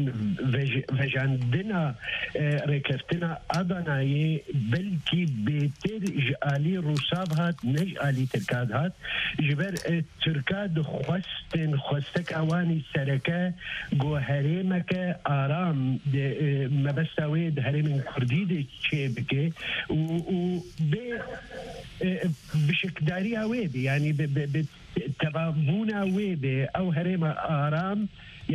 vej-, vejandina, e, rêkeftina Adanayê belkî bêtir ji alî Rûsa ve hat, ne ji alî Tirka ve hat. Ji ber, e, Tirka dixwestin xwesteka wan î sereke ku herêmeke aram di, e, mebesta wê di herêmên Kurdî de çêbike û, û bê, e, bişikdariya wê be, yanî bi, bi, bi tevabûna wê be ew herêma aram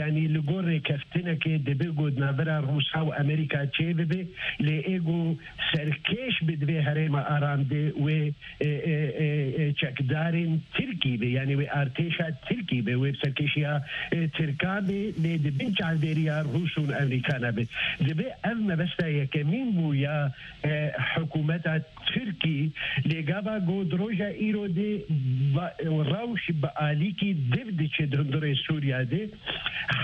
Yanî li gor rêkeftinekê dibe ku di navbera Rûsa û Amerîka çêbibe, lê ê ku serkêş bi divê herêma Aram de wê, e, e, e, e, çekdarên Tirkî be, yanî wê artêşa Tirkî be, wê bi serkêşiya, e, Tirkan be, lê di bin çavdêriya Rûs û Amerîkana be. Dibe ev mebesta yekemîn bû ya, e, hikûmeta Tirkî, lê gava ku di roja îro de ba-, rewş bi alîkî div diçe di hundirê Sûriya de,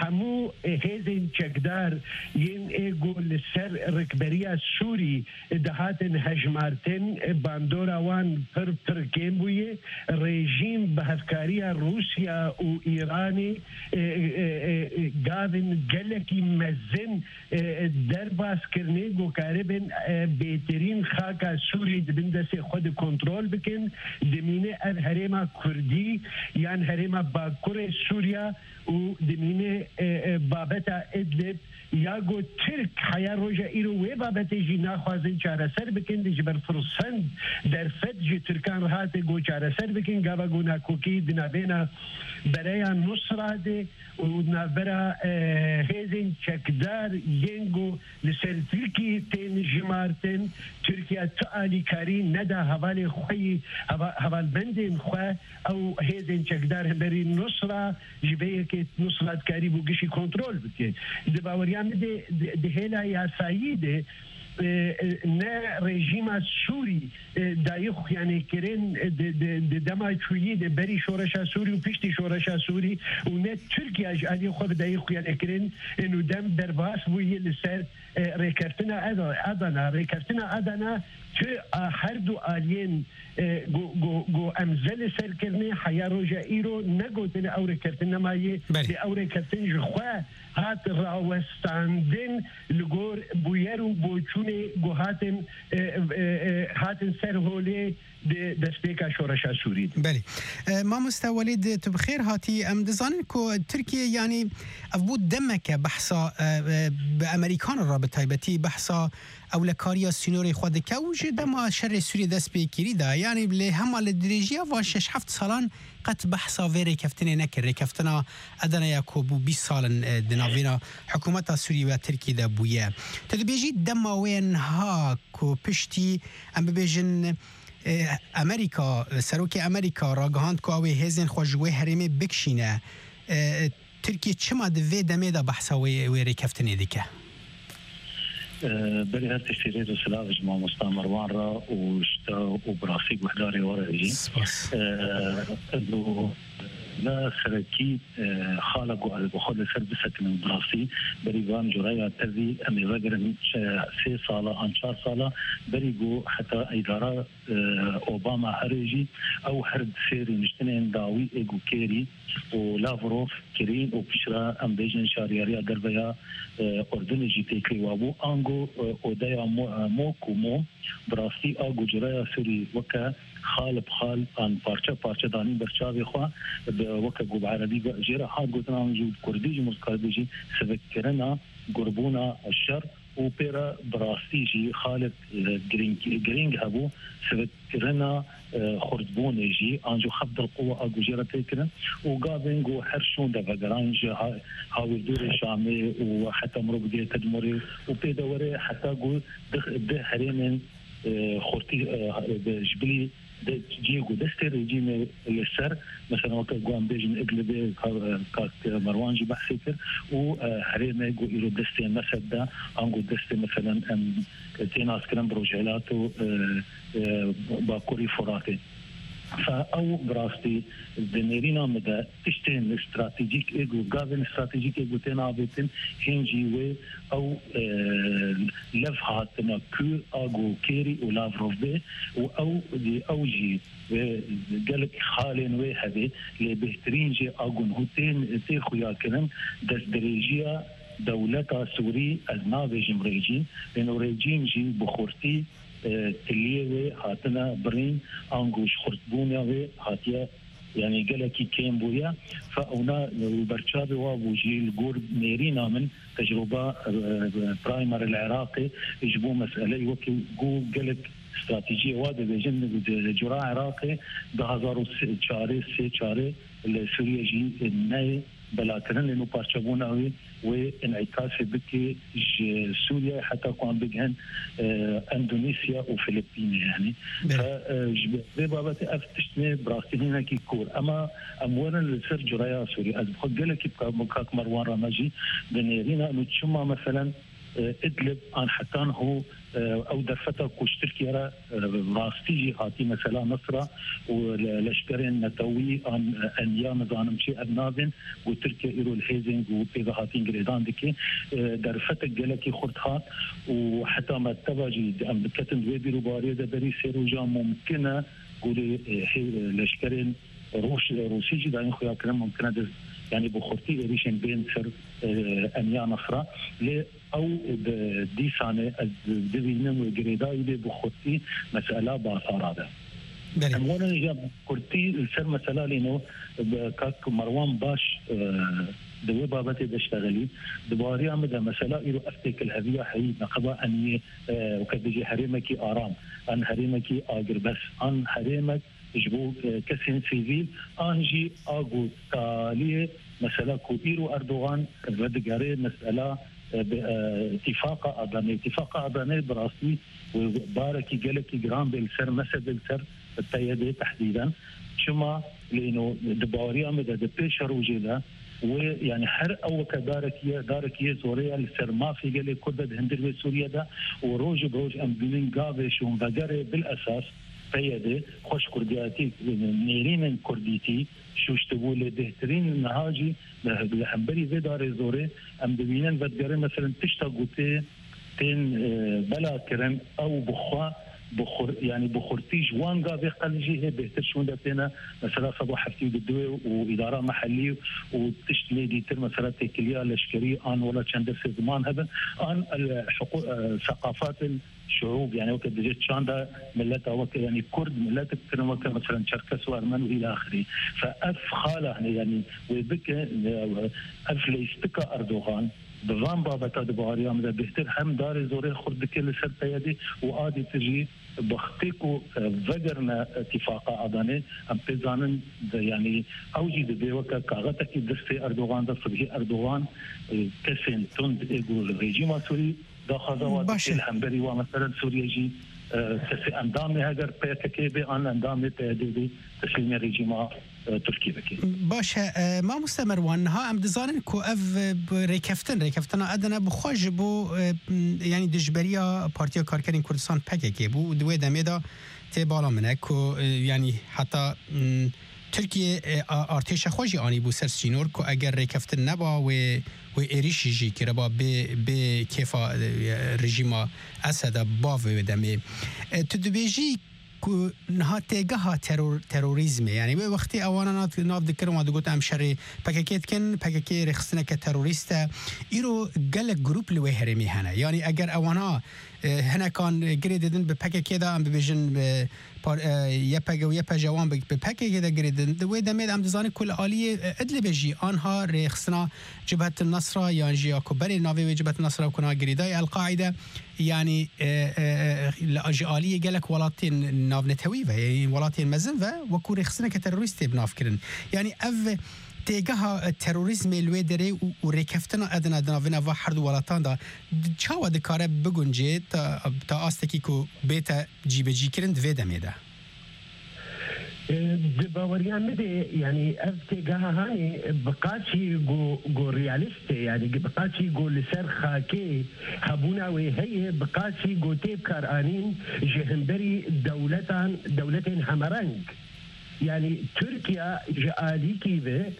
hemû hêzên çekdar yên ê ku li ser rikberiya Sûrî dihatin hejmartin, bandora wan pir pir kêm bûye. Rejîm bi hevkariya Rûsya û Îranê, e, e, e, e, gavên gelekî mezin, e, derbas kirine ku karibin, e, bêtirîn xaka Sûrî di bin destê xwe de kontrol bikin. Dimîne ev herêma Kurdî yan herêma Bakurê Sûriya û dimîne, e, e, babeta Idlib ya ku Tirk heya roja îro wê babetê jî naxwazin çareser bikin, de ji ber firsend derfet ji Tirkan re hate ku çareser bikin, gava ku nakokî di navbêna bereya Nusra de û navbera, e, hêzên çekdar yên ku li ser Tirkiyê tên jimartin, Tirkiye tu alîkarî neda hevalê xwe yî, heva-, hevalbendên xwe, ew hêzên çekdar hemberî Nusra, ji vê yekê Nusra dikarîbû gişî kontrol bike. Di baweriya min de, di, di hêla yasayî de, e, e, ne rejîma Sûrî, e, dayî xuyanê kirin, e, di, di, di dema çûyî de berî şoreşa Sûrî û piştî şoreşa Sûrî û ne Tirkiye ji aliyê xwe bi dayî xuyanê kirin, e, nû dem derbas bûye li ser, e, rêkeftina Eda-, Adana. Rêkeftina Adana tu a her du aliyên, e, go, go, go em ze li ser kirine, heya roja îro negotine ew rêkeftin nemaye, Belê. Lê ew rêkeftin ji xwe hat rawestandin li gor bûyer û boçûnê ku hatin, e, e, e, hatin ser holê di destpêka şoreşa Sûrî de. Belê. E, mamoste Welîd, tu bi xêr hatî. Em dizanin ku Tirkiye, yanî, ev bû demeke behsa, e, e, bi Amerîkan re bi taybetî behsa ewlekariya sînorê xwe dike û ji dema şerê Sûriyê dest pê kirî de, yanî lê hema li dirêjiya van şeş heft salan qet behsa vê rêkeftinê nekir. Rêkeftina Edeneya ku bû bîst sal in, e, di navîna hikûmeta Sûrî ve Tirkî de bûye. Tu dibêjî dema wê niha ku piştî, em bibêjin, e, Amerîka, serokê Amerîka ragihand ku ew ê hêzên xwe ji wê herêmê bikişîne. E, Tirkiye çima di vê demê de behsa wê, wê rêkeftinê dike? E, berî her tiştî rêz û silav ji mamosta Merwan re û ji te û bi rastî guhdarê we re jî. Spas. E, elo, ne serekî, e, xala ku ez bi xwe li ser bisekinin bi rastî, berî van cureya tevî em ê vegerin, e, sê sala an çar sala, berî ku heta îdara, e, Obama herê jî, ew her sê rûniştinên dawî ê ku Kerî û Lavrov kirîn û piştre em bêjin şaryariya derve ya, e, Urdunê jî têkilî wa bû. Ango, e, odeya mo-, e, mok û mom, bi rastî a gucuraya Sûrî weke xal bi xal an parçe parçe danîn ber çavê xwe, bi, weke ku bi erebî ve jê re hat gotin, an jî bi kurdî jî, muzkardî jî sivikkirina gurbûna şer û pê re bi rastî jî xalek, e, girîng, girîng hebû, sivikkirina, e, xurtbûnê jî, an jî xef dilquwa a ku jê re tê kirin û gavên ku her şûn de vegeran ji ha-, hawîrdûrê Şamê û heta mirov bigihête di morê û pê de were heta ku di, di herêmên, e, xurtî, e, de ji bilî de cihê ku destê rejîmê li ser, mesela weke ku em bêjin Idlibê, ka-, kak Merwan jî behsê kir û, e, herêmê ku îro destê Mesed de, ango destê, meselen, em tê naskirin bi rojhilat û, e, e, bakurî Furatê. Fe ew bi rastî di nêrîna min de tiştên stratejîk ê ku, gavên stratejîk ê ku tên avêtin, hîn jî wê ew, e, lev hatina ku a ku Kerî û Lavrov bê û ew, ew jî wê gelek xalên wê hebe, lê bêhtirîn jî a ku niha tên tê xuyakirin, destdirêjiya dewleta Sûrî, ez nabêjim rejîm, lê no rejîm jî bi xurtî, e, tiliyê wê hatine birîn, ango ji xurtbûna wê hatiye, yanî gelekî kêm bûye. Fe ewna, e, berçavê wa bû jî li gor nêrîna min tecrûba, e, e, primer li Iraqê ji bo meseleyê wekî ku gelek stratejiyê wa dibêjin, di cura Iraqê du hazar û çarê, sê çarê li Sûriye jî neyê, belakirin, lê nû parçebûna wê wê înîkasê bike ji Sûriyeyê heta ku em bigihin, e, Endonezya û Filipînê, yanî. Belê. Fe, e, ji vê babetê ev tişt ne bi rastî hinekî kûr. Ema em werin li ser cureya Sûriyê. Ez bi xwe gelekî bi ka-, bi kak Merwan re me jî dinêrîne. Û çima, meselen, e, Idlib an hetan hû, e, ew derfeta ku ji Tirkiye re, e, rastî jî hatî mesela Nasra û le-, leşkerên netewî an, e, Enya, nizanim çi ev navên ku Tirkiye îro li hêzên ku pê ve hatîn girêdan dike, e, derfetek gelekî xurt hat û heta mekteba jî em diketin di wê bîrûbariyê de berî sê rojan mumkin e ku lê, e, hê-, leşkerên Rûş-, Rûsî jî dayîn xuyakirin mumkin e di, yanî bi xurtî êrîşên bên ser, e, Enya Nasra. Lê ew bi dîsanê ez dibînim wê girêdayî bê bi xurtî mesela Basara de. Belê. Em werin ji kurtî li ser mesela lêno bi kak Merwan baş, e, di wê babetê de ştexelî. Di bariya min de mesela îro ev têkilheviya heyî neqeba eniyê, e, weke dijî herêmekî aram, an herêmekî agirbest, an herêmek ji bo, e, kesên sivîl, an jî a ku taliyê mesela ku îro Erdogan vedigere mesela, e, bi, e, Îtîfaqa Adanê. Îtîfaqa Adanê bi rastî, e, barekî gelekî giran bê li ser, mese bê li ser P Y D tehdîden. Çima? Lêno di baweriya min de di pêşerojê de wê, yanî her ew weke darekî ye, darekî yê zorê ye li ser mafê gelê Kurd de di hundir vê Sûriye de û roj bi roj em dibînin gavê şûnvegerê bil esas P Y D, xweş kurdiyatî, nêrînên kurdîtî şûştibû, lê bêhtirîn niha jî li, li hemberî vê darê zorê em dibînin vedigerin, meselen, tişta ku tê, tên, e, bela kirin, ew bi xwe, bi xur-, yanî bi xurtî ji wan gavê qel jî hê bêhtir şûnde têne, mesela, sed û heftê û du û îdara mehellî û tişt lê dîtir, mesela, têkiliya leşkerî an wela çend destê ziman hebin, an el hiqû-, e, seqafatên şuûb, yanî weke dibêje çanda mileta, weke, yanî Kurd miletek kirin, weke, meselen, Çerkes û Ermen û îlâ axirî. Fe ev xala, hani, yanî wê bike, e, ev leyistika Erdogan bi van babeta di baweriya min de bêhtir hem darê zorê xurt dike li ser P Y D û a dîtir jî bi xtê ku, e, vegerine Îtîfaqa Adanê, em pê zanin, de, yanî ew jî dibê weke kaxetekî destê Erdogan de, sibhî Erdogan, e, kesên tund ê ku li rejîma Sûrî daxwaza wa Baş e. dike, li hemberî wa, meselen, Sûriye jî, e, kesê endamê heger P K K bê an endamê P Y D bê, teslîmê rejîma, e, Tirkî bike. Baş e, e, mamoste Merwan, niha em dizanin ku ev, e, bi rêkeftin, rêkeftina Edene bi xwe ji bo, e, m, yanî dijberiya Partiya Karkerên Kurdistan P K K bû. Di wê demê de tê bala min e ku, e, yanî heta, m, Tirkiye, e, a-, artêşa xwe jî anîbû ser sînor ku eger rêkeftin neba, wê, wê êrîşî jî kiriba bê, bê kêfa, e, rejîma Eseda bavê wê demê. E, tu dibêjî ku niha têgeha teror-, terorîzmê, yanî wê wextê ewana nav, nav dikirin, wan digot, em şerê P K K dikin, P K K rêxistineke terorîst e. Îro gelek grûp li wê herêmê hene. Yanî eger ewana, e, hinekan girê didin bi P K K de, em bibêjin, e, par-, e, Y P G û Y P J wan bi, bi P K K de girê didin. Di wê demê de em dizanin ku li aliyê, e, Idlibê jî anha rêxistina Cibhet Nasra yan jî ya ku berê navê wê Cibhet Nasra ku na girêdayî El-Qaîde, yanî, e, e, e, li, ji aliyê gelek welatên navnetewî ve, yanî welatên mezin ve, wekû rêxistineke terorîst tê bi nav kirin. Yanî ev têgeha, e, terorîzmê li wê derê û, û rêkeftina Edina di navîna va herdu welatan de, di, çawa dikare bigunce ta, ta astekî ku bête cîbecîkirin di vê demê de? E, di baweriya min de, yanî ev têgeha hanê bi qasî ku, ku realîst e, yanî bi qasî ku li ser xakê hebûna wê heye, bi qasî ku tê bikaranîn ji hemberî dewletan, dewletên hemereng. Yanî Tirkiye ji alîkî ve,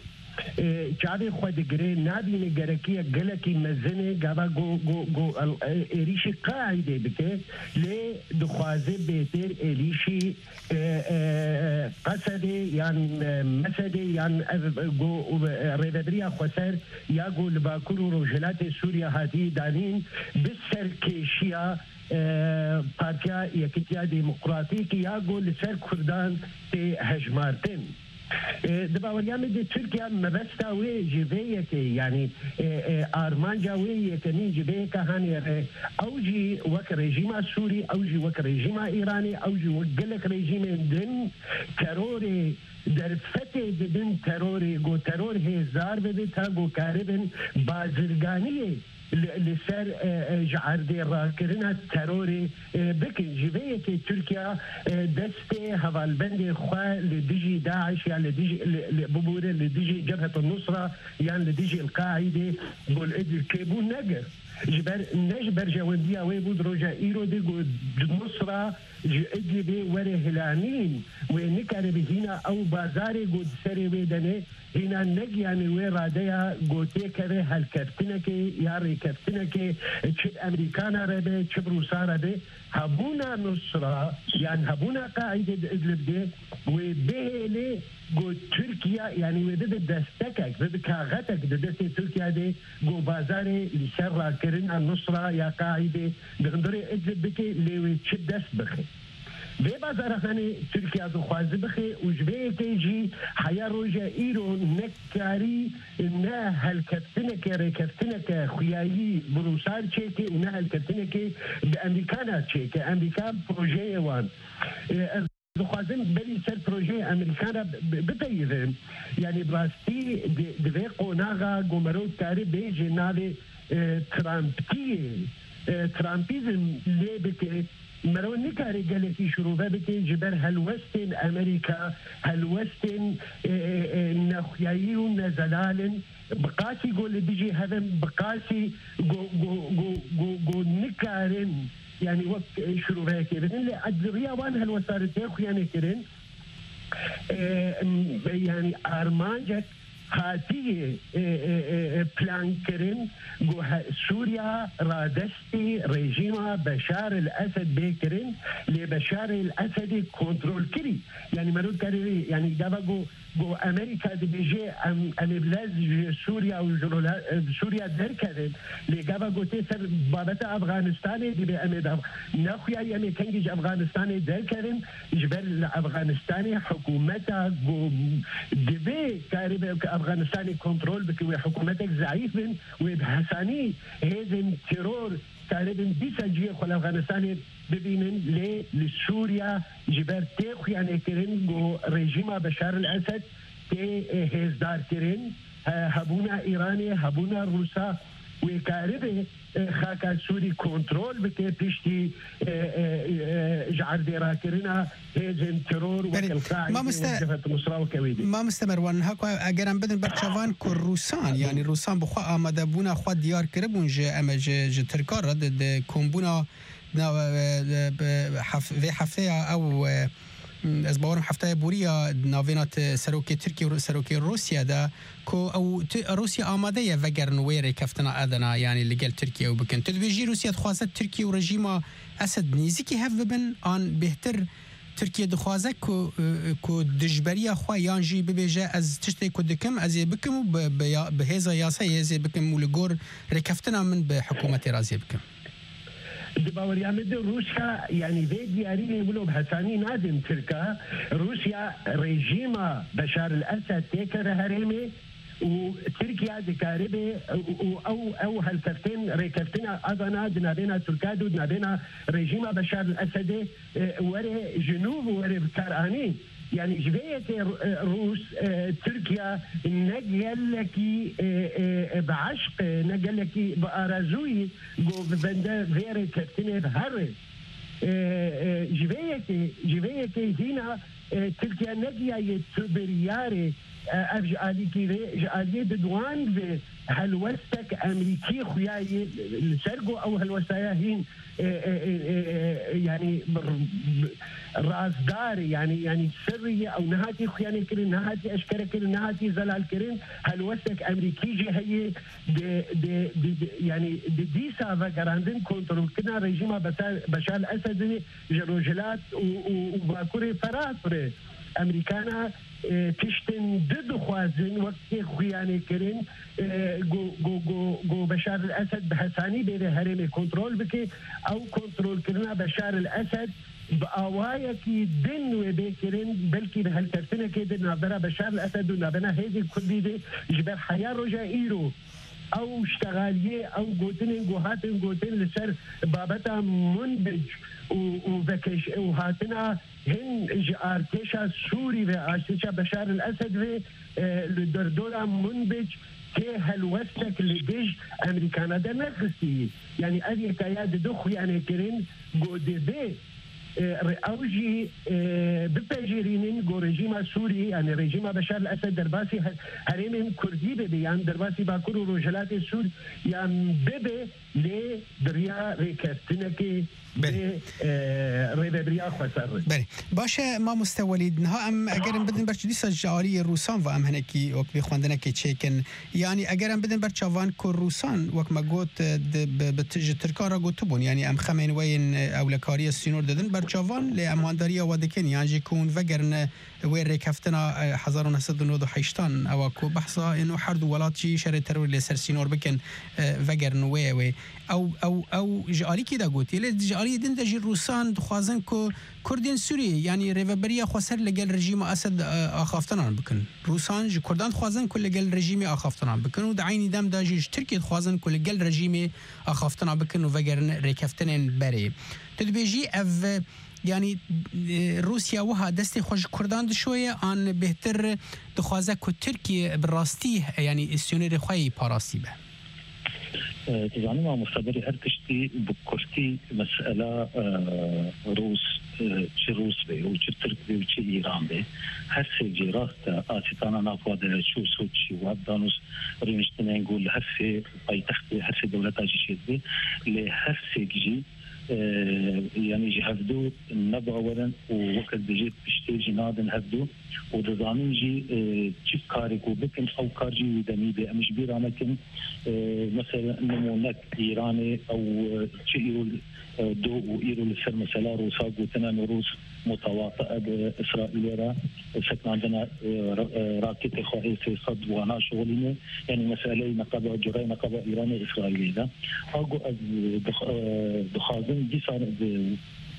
e, çavê xwe digire, nabîne gerekiya gelekî mezin e, gava ku, ku, ku, e, êrîşî Qaîdê bike, lê dixwaze bêtir êrîşî, e, e, Qesedê yan, e, Mesedê yan ev, e, ku, e, rêvebiriya xweser ya ku li Bakur û Rojhilatê Sûriye hatiye danîn bi serkêşiya, e, Partiya Yekitiya Demokratîk ya ku li ser Kurdan tê hejmartin. E, di baweriya min de Tirkiye mebesta wê ji vê yekê, yanî, e, e, armanca wê yekemîn ji vê yeke hanê re, ew jî wek rejîma Sûrî, ew jî wek rejîma Îranê, ew jî wek gelek rejîmên din terorê derfetê didin terorê, ku teror hêzdar bibe ta ku karibin bazirganiyê li, li ser, e, e, ji erdê rakirina terorê, e, bikin. Ji vê yekê Tirkiye, e, destê hevalbendê xwe li dijî DAIŞ ya li dijî, li, li, bibûre li dijî Cebhet Nusra yan li dijî El-Qaîdê, Gul Idlib çêbû negir. Ji ber, ne ji berjewendiya wê bû di roja îro de ku Nusra ji Idlibê were hilanîn, wê nikare bi hîna ew bazarê ku di serê wê de ne, hîna negiyane wê radeya ku têkeve helkeftinekê ya rêkeftinekê, çi bi Emerîkana re be, çi bi Rûsa re be, hebûna Nusra yan hebûna Qaîde di Idlib de wê bihêle ku Tirkiye, yanî wê bibe destekek, bibe kaxetek di destê Tirkiye de ku bazarê li ser rakirina Nusra ya Qaîde di hundirê Idlib bike, lê wê çi dest bixe. Vê bazara hanê Tirkiye dixwaze bixe û ji vê yekê jî heya roja îro nekarî ne helkeftineke, rêkeftineke xuyayî bi Rûsan çêke û ne helkeftineke bi Emerîkana çêke. Emerîka projeyê wan. E, ez dixwazim berî ser projeyê Emerîkan re bi-, bipeyivim. Yanî bi rastî di, di vê qonaxa ku mero dikare bêje navê, e, Trumpiyê, e, Trumpîzm lê bike, mero nikare gelekî şirove bike ji ber helwestên Emerîka, helwestên, e, e, e, nexuyayî û nezelal in. Bi qasî ku li dijî hev in, bi qasî ku, ku, ku, ku, ku nikarin, yanî wek, e, şiroveyekê bidin. Lê di riya wan helwestarê tê xuyanê kirin, e, m-, yanî armancek hatiye, e, e, e, e, plan kirin ku he-, Sûriya radestî rejîma Beşar el Esed bê kirin, lê Beşar el Esedê kontrol kirî. Yanî mero dikarî, yanî gava ku, ku Amerîka dibêje em, em ê bi lez ji Sûriya û ji rola-, e, Sûriya derkevin, lê gava ku tê ser babeta Afganistanê dibê em ê de nexuyayî em ê kengî ji Afganistanê derkevin, ji ber li Afganistanê hikûmeta ku divê karibe ku Afganistanê kontrol bike, wê hikûmetek zeîf bin, wê bi hesanî hêzên teror karibin dîsa cihê xwe li Afganistanê bibînin, lê li Sûriya ji ber tê xuyanê kirin ku rejîma Beşar el Esed tê, e, hêzdar kirin, he-, hebûna Îranê, hebûna Rûsa wê karibe, e, xaka Sûrî kontrol bike piştî, e, e, e, ji erdê rakirina hêzên teror wek Belê. El-Qaîde Mamoste, û Cebhet Nusra û kewê dî. Mamoste Merwan, niha ku eger em bidin ber çavan ku Rûsan, yanî Rûsan bi xwe amadebûna xwe diyar kiribûn ji, em ji, ji Tirkan re di, di kombûna, na, e, e, bi hef-, vê hefteya ew, e, ez bawerim hefteya borî ya navêna ti-, serokê Tirkiye û serokê Rûsya de ku ew ti-, Rûsya amade ye vegerin wê rêkeftina edina, yanî li gel Tirkiye ew bikin. Tu dibêjî Rûsya dixwaze Tirkiye û rejîma Esed nêzîkî hev bibin, an bêhtir Tirkiye dixwaze ku, e, ku dijberiya xwe yan jî bibêje, ez tiştê ku dikim, ez ê bikim û bi, bi ya-, bi hêza yasayê ez ê bikim û li gor rêkeftina min bi hikûmetê re ez ê bikim. Di baweriya min de Rûsya, yanî vê diyariyê wilo bi hesanî nadin Tirka. Rûsya rejîma Beşar el Esed têkeve herêmê û Tirkiye dikaribe û, û ew, ew helkeftên rêkeftina Adana di navêna Tirka de û di navêna rejîma Beşar el Esedê, e, were ji nû were bi kar anî. Yanî ji vê yekê, e, Rûs, e, Tirkiye ne gelekî, e, e, e, bi eşq, e, ne gelekî bi arazûyî ku bi bende vê rêkeftinê bi here. E, e, ji vê yekê, ji vê yekê hîna, e, Tirkiye negiyaye tu biryarê, e, ev ji alîkî vê, ji aliyê Didwan vê helwestek Emerîkî xuyaye li ser ku ew helwestaya hîn, e, e, e, e, e, yanî r-, razdar, yanî, yanî sirrî ye, ew nehatî xuyanê kirin, nehatî eşkere kirin, nehatî zelal kirin, helwestek Emerîkî jî heye, di, di, di, di, yanî di dîsa vegerandin kontrolkirina rejîma Beşar, Beşar Esedê ji Rojhilat û, û, û Bakurê Ferat re. Emerîkana, e, tiştin di dixwazin wek tê xuyanê kirin, e, ku, ku, ku, ku Beşar el Esed bi hesanî bêre herêmê kontrol bike. Ew kontrolkirina Beşar el Esed bi awayekî din wê bê kirin, belkî bi helkeftinekê di navbera Beşar el Esed û navbera hêzên Kurdî de ji ber heya roja îro ew ştegaliyê, ew gotinên ku hatin gotin li ser babeta Munbic û, û vekeş-, û hatina hin ji artêşa Sûrî ve, artêşa Beşar el Esed ve, e, li derdora Munbic tê helwestek li dij Amerîkana dernexistî. Yanî ev yekaya di du xuyanê kirin ku divê, e, re-, ew jî, e, bipejirînin ku rejîma Sûrî, yanî rejîma Beşar el Esed derbasî her-, herêmên Kurdî bibe yan derbasî Bakur û Rojhilatê Sûriyan bibe, lê bi riya rêkeftinekê Belê. Dê, e, rêvebiriya xweser re. Belê. Baş e, mamoste Welîd, niha em eger em bidin ber çi dîsa ji aliyê Rûsan ve em hinekî wek vê xwendinekê çêkin. Yanî eger em bidin ber çavan ku Rûsan, wek me got, e, di, bi, bi, ji Tirkan re gotibûn, yanî em xemên we yên, e, ewlekariya sînor didin ber çavan, lê em wandariya we dikin, yan jî ku hûn vegerin, e, wê rêkeftina, e, hezar û neh sed û nod û heştan, ewa ku behsa êno her du welat jî şerê terorê li ser sînor bikin, e, vegerin wê wê. Ew, ew, ew ji alîkî de gotiye, lê ji aliyê din de jî Rûsan dixwazin ku Kurdên Sûriyê, yanî rêveberiya xweser li gel rejîma Esed, e, axaftinan bikin. Rûsan ji Kurdan dixwazin ku li gel rejîmê axaftinan bikin û di eynî dem de jî ji Tirkiyê dixwazin ku li gel rejîmê axaftina bikin û vegerin rêkeftinên berê. Tu dibêjî ev, yanî, e, Rûsya wiha destê xwe ji Kurdan dişoye an bêhtir dixwaze ku Tirkiye bi rastî, yanî, sînorê xwe yî parastî be? E, tu zanî mamoste, berî her tiştî bi kurtî mesela, e, Rûs, e, çi Rûs be û çi Tirk be û çi Îran be, her sê cî rast e, asîtana nav xwe de çû Soçî û ev danûst rûniştinên ku li her sê paytextê, her sê dewleta jî çêdibe, lê her sêk jî, e, yanî ji hevdu ne bawer in û weke dibêje piştê jî nadin hevdu û dizanin jî, e, çi karê ku bikin, ew kar jî wî demî bê. Em ji bîra nekin, e, mesela nimûnek Îranê ew, e, çi îro, e, do û îro li ser mesela Rûsa gotine, Rûs mutewati'e bi Îsraîlê re, e, sekinandina, e, ra-, e, raketê xwe ê sê sed wana şixulîne. Yanî meseleyê neqeba, curayê neqeba Îranê Îsraîlê de. A ku ez dix-, e, dixwazim dîsa di,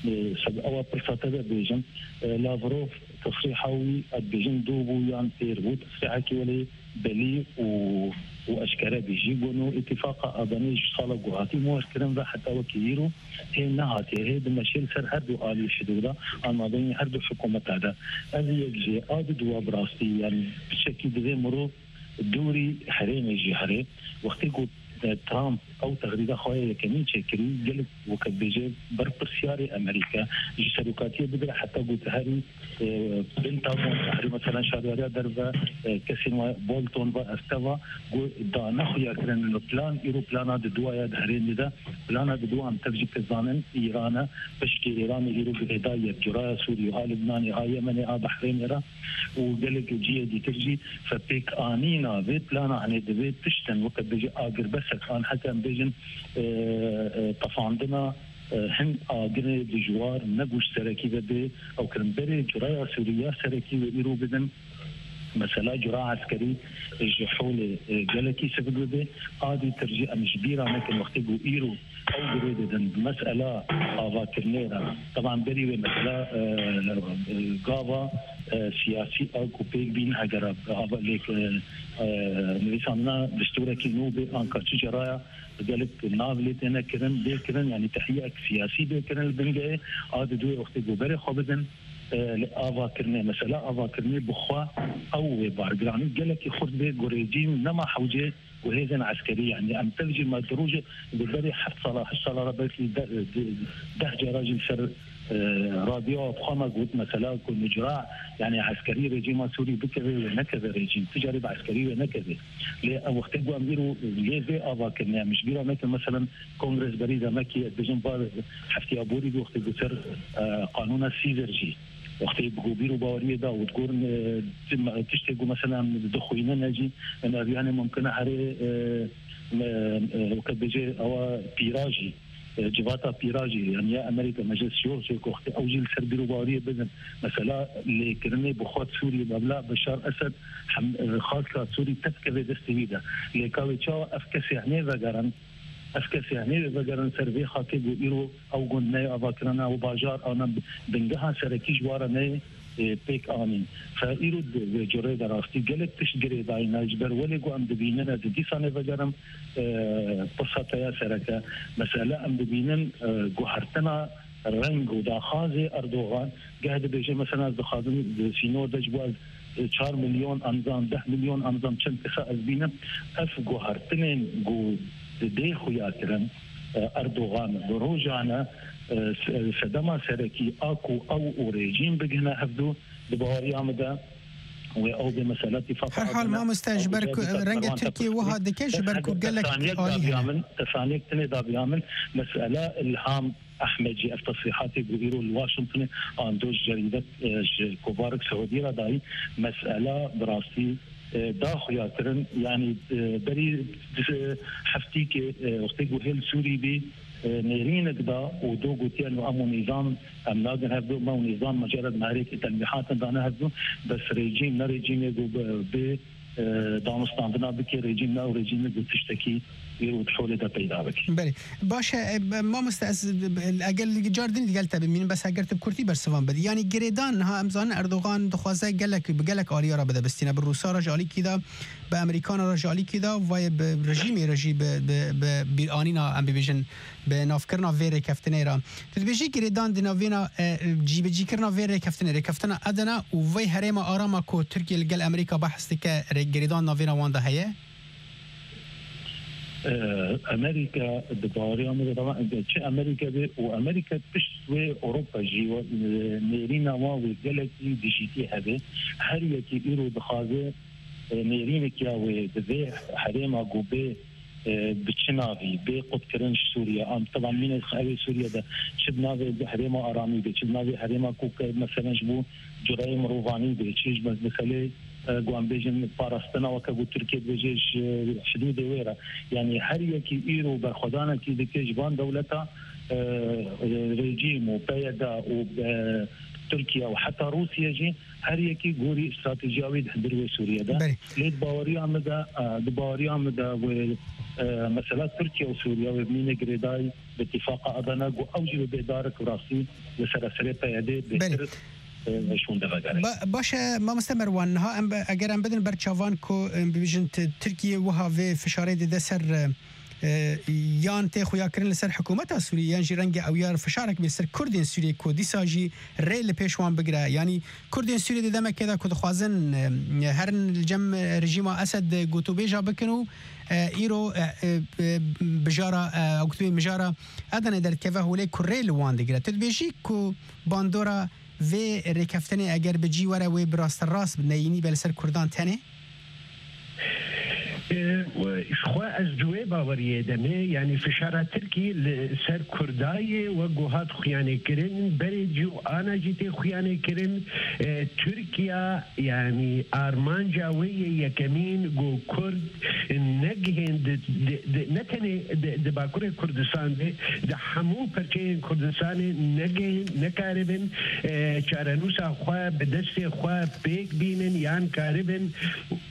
e, seb ewa pirsa te de bêjim, e, Lavrov tesrîha wî, ez dibêjim, dû bû yan têr bû, tesrîhekî welê belî û, û eşkere bî jî. Got, nû îtîfaqa Adanê ji sala ku hatî muher kirin ve heta wekî îro hê nehatiye, hê dimeşê li ser her du alî şidû de, an mabeyîn her du hikûmeta de. Ev yek jê, a di dua bi rastî, yanî piçekî divê mirov dûrî herêmê jî here. Wextê ku, e, Trump ew tehdîda xwe ya yekemîn çêkirî, gelek weke dibêje berpirsiyarê Amerîka ji serokatiyê bigire heta ku diherî, e, Pentagon, herî mesela şaryariya derve, e, kesên we Bolton ve esteva ku dane xuya kirin li plan, îro plana di duaya di herêmê de, plana di dua em tev jî dizanin Îran e, pişkê Îranê îro girêdayî ye, curaya Sûriyê, a Libnanê, a Yemenê, a Behreynê re û gelek cihê dîtir jî. Fepêkanîna vê plana, hanê divê tiştin weke bêje agirbesek an heke em bêjin, e, e, tefandina, e, hin agirê dijwar, ne ku ji serekî ve bê ew kirin. Berê curaya Sûrî ya serekî ve îro bidin, mesela cura eskerî ji holê, e, gelekî sivik bibe. A dîtir jî em ji bîra nekin wextê ku îro ew girê didin bi mesela avakirinê re. Teban berî wê mesela, e, e, gava, e, siyasî a ku pêk bîn, hegera ava lêk, e, e, nivîsandina destûrekî nû bê, anka çi ceraya gelek nav lê têne kirin, bê kirin, yanî tehliyek siyasî bê kirin li bingehê. A di duê wextê ku berê xwe bidin, e, li avakirinê, mesela avakirinê bi xwe ew wê bargiranî gelekî xurt bê ku rejîm nema hewcê ku hêzên eskerî, yanî em tev jî me di rojê di berî heft sala, heşt sala re belkî de-, de-, deh cara jî li ser, e, radyoya xwe me got, mesela ku nicra, yanî eskerî rejîma Sûrî bikeve wê nekeve rejîm, tu carî bi eskerî wê nekeve. Lê ev wextê ku em îro lê vê avakirinê, em ji bîra nekin, mesela Kongres berî demekî, ez dibêjim, va heftiya borî wextê ku ser, e, qanûna Caesar jî, wextê bi ku bîr û baweriyê da û digorin, e, tim-, tiştê ku mesela em dixwînin e jî, em ev yanê mumkin e herê, e, me, e, weke bêje ewa pîra jî, e, civata pîra jî, yanî ya Amerîka, Meclis Şiyûx jî, ku wextê ew jî li ser bîr û baweriyê bidin. Mesela lêkirinê bi xwe Sûriyê, mebla Beşar Esed hem, e, xasika Sûrî tevkeve destê wî de. Lê ka wê çawa ev kesê hemê vegerin, Ev kesê hemê wê vegerin ser vê xakê ku îro ew gund neyê avakirina, ew bajar ana bingeha serekî ji wa re neyê, e, pêk anîn. Fe îro di vê curê de rastî gelek tişt girêdayî ne. Ji ber welê ku em dibînin, ez ê dîsanê vegerim, e, pirsa te ya sereke. Mesele em dibînin, e, guhertina reng û daxwazê Erdogan, geh dibêje, mesela, ez dixwazim di sînor de ji bo ez çar milyon anzam, deh milyon anzam çend kesa ez bînim, ev guhertinên ku didê xuya kirin, e, Erdogan bi rojane, e, se-, sedema serekî a ku ew û rejîm bigihine hevdû, di baweriya min de wê ew bê mesela tîfaqa Her hal adana, mamoste, ji ew ber ku dikare rengê Tirkiyê wiha dike, ji ber ku gelek alî hene. Min, tesaniyek tinê daviya min, mesela Ilham Ehmed jî ev tesrîhatê ku îro li Washingtonê an do ji cerîdet, e, ji kovarek Siûdî re dayî, mesela bi rastî, e, da xuya kirin, yanî, e, berî, e, heftîkê, e, wextê ku hêl Sûrî bî, e, nêrînek da û do gotiye, em û nîzam, em nagin hevdû, me û nîzam mucerred mehrêkê telmîhatin dane hevdû, bes rejîm, ne rejîmê ku bi, bi, e, danûstandina bike, rejîm ne ew rejîmê ku tiştekî îro di holê de peyda bike. Belê. Baş e, e, mamoste, ez, e, eger li car din digel te bimînim, bes eger tu bi kurtî bersivan bidî. Yanî girêdan, niha em zanin Erdogan dixwaze gelek, bi gelek aliya re bide bistîne. Bi Rûsa re ji alîkî de, bi Amerîkana re ji alîkî de, vayê bi rejîmê re jî bi, bi, bi bîranîna, em bibêjin, bi navkirina vê rêkeftinê re. Tu dibêjî girêdan di navêna, e, cîbicîkirina vê rêkeftinê, rêkeftina Edena û vê herêma arama ku Tirkiye li gel Amerîka behs dike, rê-, girêdan navêna wan de heye? E, Amerîka di baweriya min de, çi Amerîka be û Amerîka pişt wê Ewropa jî, e, nêrîna wan wê gelekî dijîtî hebe. Her yekî îro dixwaze, e, nêrînek ya wê di vê herêma ku bê, e, bi çi navî bê qutkirin ji Sûriye. Am, teban mîne ew ê Sûriye de çi bi navê herêma aramî bê, çi bi navê herêma ku ke, meselen, ji bo cureyê mirovanî bê, çi ji meselê, e, ku em bêjin parastina, weke ku Tirkiye dibêje ji hidûdê wê re. Yanî her yekî îro berxwedanekî dike ji van dewleta, e, e, rejîm û P Y D û, e, Tirkiye û heta Rûsya jî her yekî gorî stratejiya wî di hundir wê Sûriye de. Belê. Lê di baweriya min de, e, di baweriya min de wê, e, mesela Tirkiye û Sûriye wê bimîne girêdayî bi îtîfaqa Adana ku ew jî wê bê darek rastî li sereserê P Y D bêtir, Belê. e, şûnde vegere. Ba-, baş e, mamoste Merwan, niha em be-, eger em bidin ber çavan ku, em bibêjin Ti-, Tirkiye wiha vê fişarê dide ser, e, e, yan tê xuyakirin li ser hikûmeta Sûriyê, yan jî renge ew ya fişarek bê ser Kurdên Sûriyê ku dîsa jî rê li pêş wan bigire. Yanî Kurdên Sûriyê di demekê de ku dixwazin, e, herin li cem rejîma Esed gotûbêja bikin û, e, îro, e, e, e, bijara, e, ew gotûbê mijara Edenê derdikeve holê ku rê li wan digire. Tu dibêjî ku bandora vê rêkeftinê eger bi cî were wê bi rasterast bi neyînî be li ser Kurdan tenê? E, ji xwe ez ji wê baweriyê de me, yanî fişara Tirkî li ser Kurda ye, wek ku hat xuyanê kirin, berê cî û ana jî tê xuyanê kirin. E, Tirkiya, yanî armanca wê yê yekemîn ku Kurd negihên di, di, di, ne tenê di, di Bakurê Kurdistan de, di hemû perçeyên Kurdistanê negihên, nekaribin, e, çarenûsa xwe bi destê xwe pêk bînin yan karibin,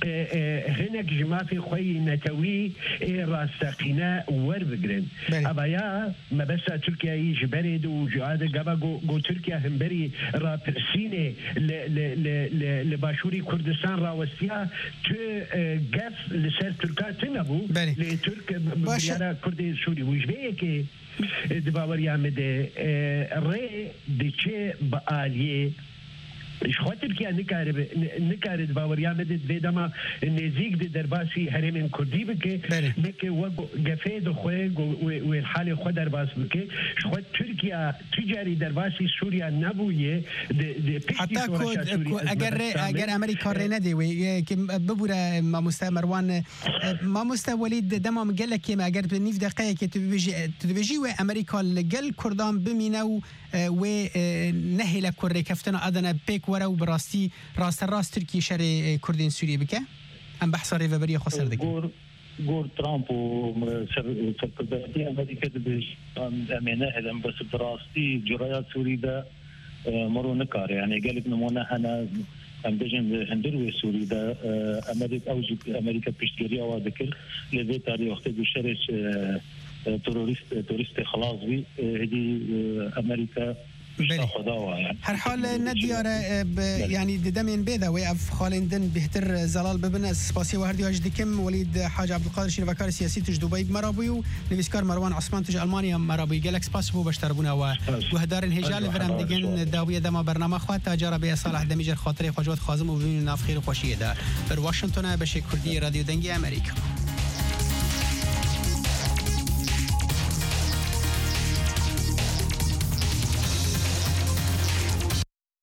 e, e, hinek ji mafê xwe yî netewî ê rasteqîne werbigirin. Belê. Evaya mebesta Tirkiyeyê ji berê de û ji a de gava ku, ku Tirkiye hemberî rapirsînê li, li, li, li, li Başûrî Kurdistan rawestiya, tu, e, gef li ser Tirka tune bû. Belê. Lê Tirk, e, Baş e. biryara Kurdê Sûrî bû. Ji vê yekê, e, di baweriya me de, e, rê diçe bi aliyê. Ji xwe Tirkiye nikare bi, ni-, nikare di baweriya me de di vê dema nêzîk de derbasî herêmên Kurdî bike, Belê. neke wek gefê dixwe, go-, wê, wê li halê xwe derbas bike. Ji xwe Tirkiye tu carî derbasî Sûriya nebûye, di, di piştî Heta ku, şoreşa Sûriye ku ez eger rê, mebesta me. eger Amerîka rê nedê wê, e, ki bibûre, e, mamoste Merwan, e, e, mamoste Welîd, dema min gelek kêm e, eger bi nîv deqeyekê tu bibêjî, e, tu dibêjî wê Amerîka li gel Kurdan bimîne û, e, wê, e, nehêle ku rêkeftina Adana pêk were û bi rastî rasterast Tirkiyê şerê, e, Kurdên Sûriyê bike? Em behsa rêveberiya xwe ser dikin. Gor, gor Trump û, e, ser, serkirdayetî Amerîka dibêjin, em, em ê nehêlin, bes bi rastî curaya Sûrî de, e, miro nikare. Yanî gelek nimûne hene, em bêjin li hundir wê Sûrî de, e, Amerîk-, ew jî Amerîka piştgiriya wa dikir. Lê vê tarî wextê ku şerê, e, e, terorîst, e, terorîstê xilas bî, e, hêdî, e, Amerîka Belê. Her hal ne diyar e, bi, yanî di demên bê de wê ev xalên din bêhtir zelal bibin. Ez spasiyê we her diya jî dikim. Welîd Hac Abdulkadir, şîrvekarê siyasî, tu ji Dubayî bi me re bûyî û nivîskar Merwan Esman, tu ji Almanya bi me re bûyî. Gelek spas ji bo beşdarbûna we. Guhdarên hêja li vir em digin dawiyê dema bernama xwe. Ta cara bê, ez Salih Demî jê re xatirê xwe ji we dixwazim û bimînin nav xêr û xweşiyê de. Li Washington e, beşê Kurdî yê Radyo Dengê Amerîka.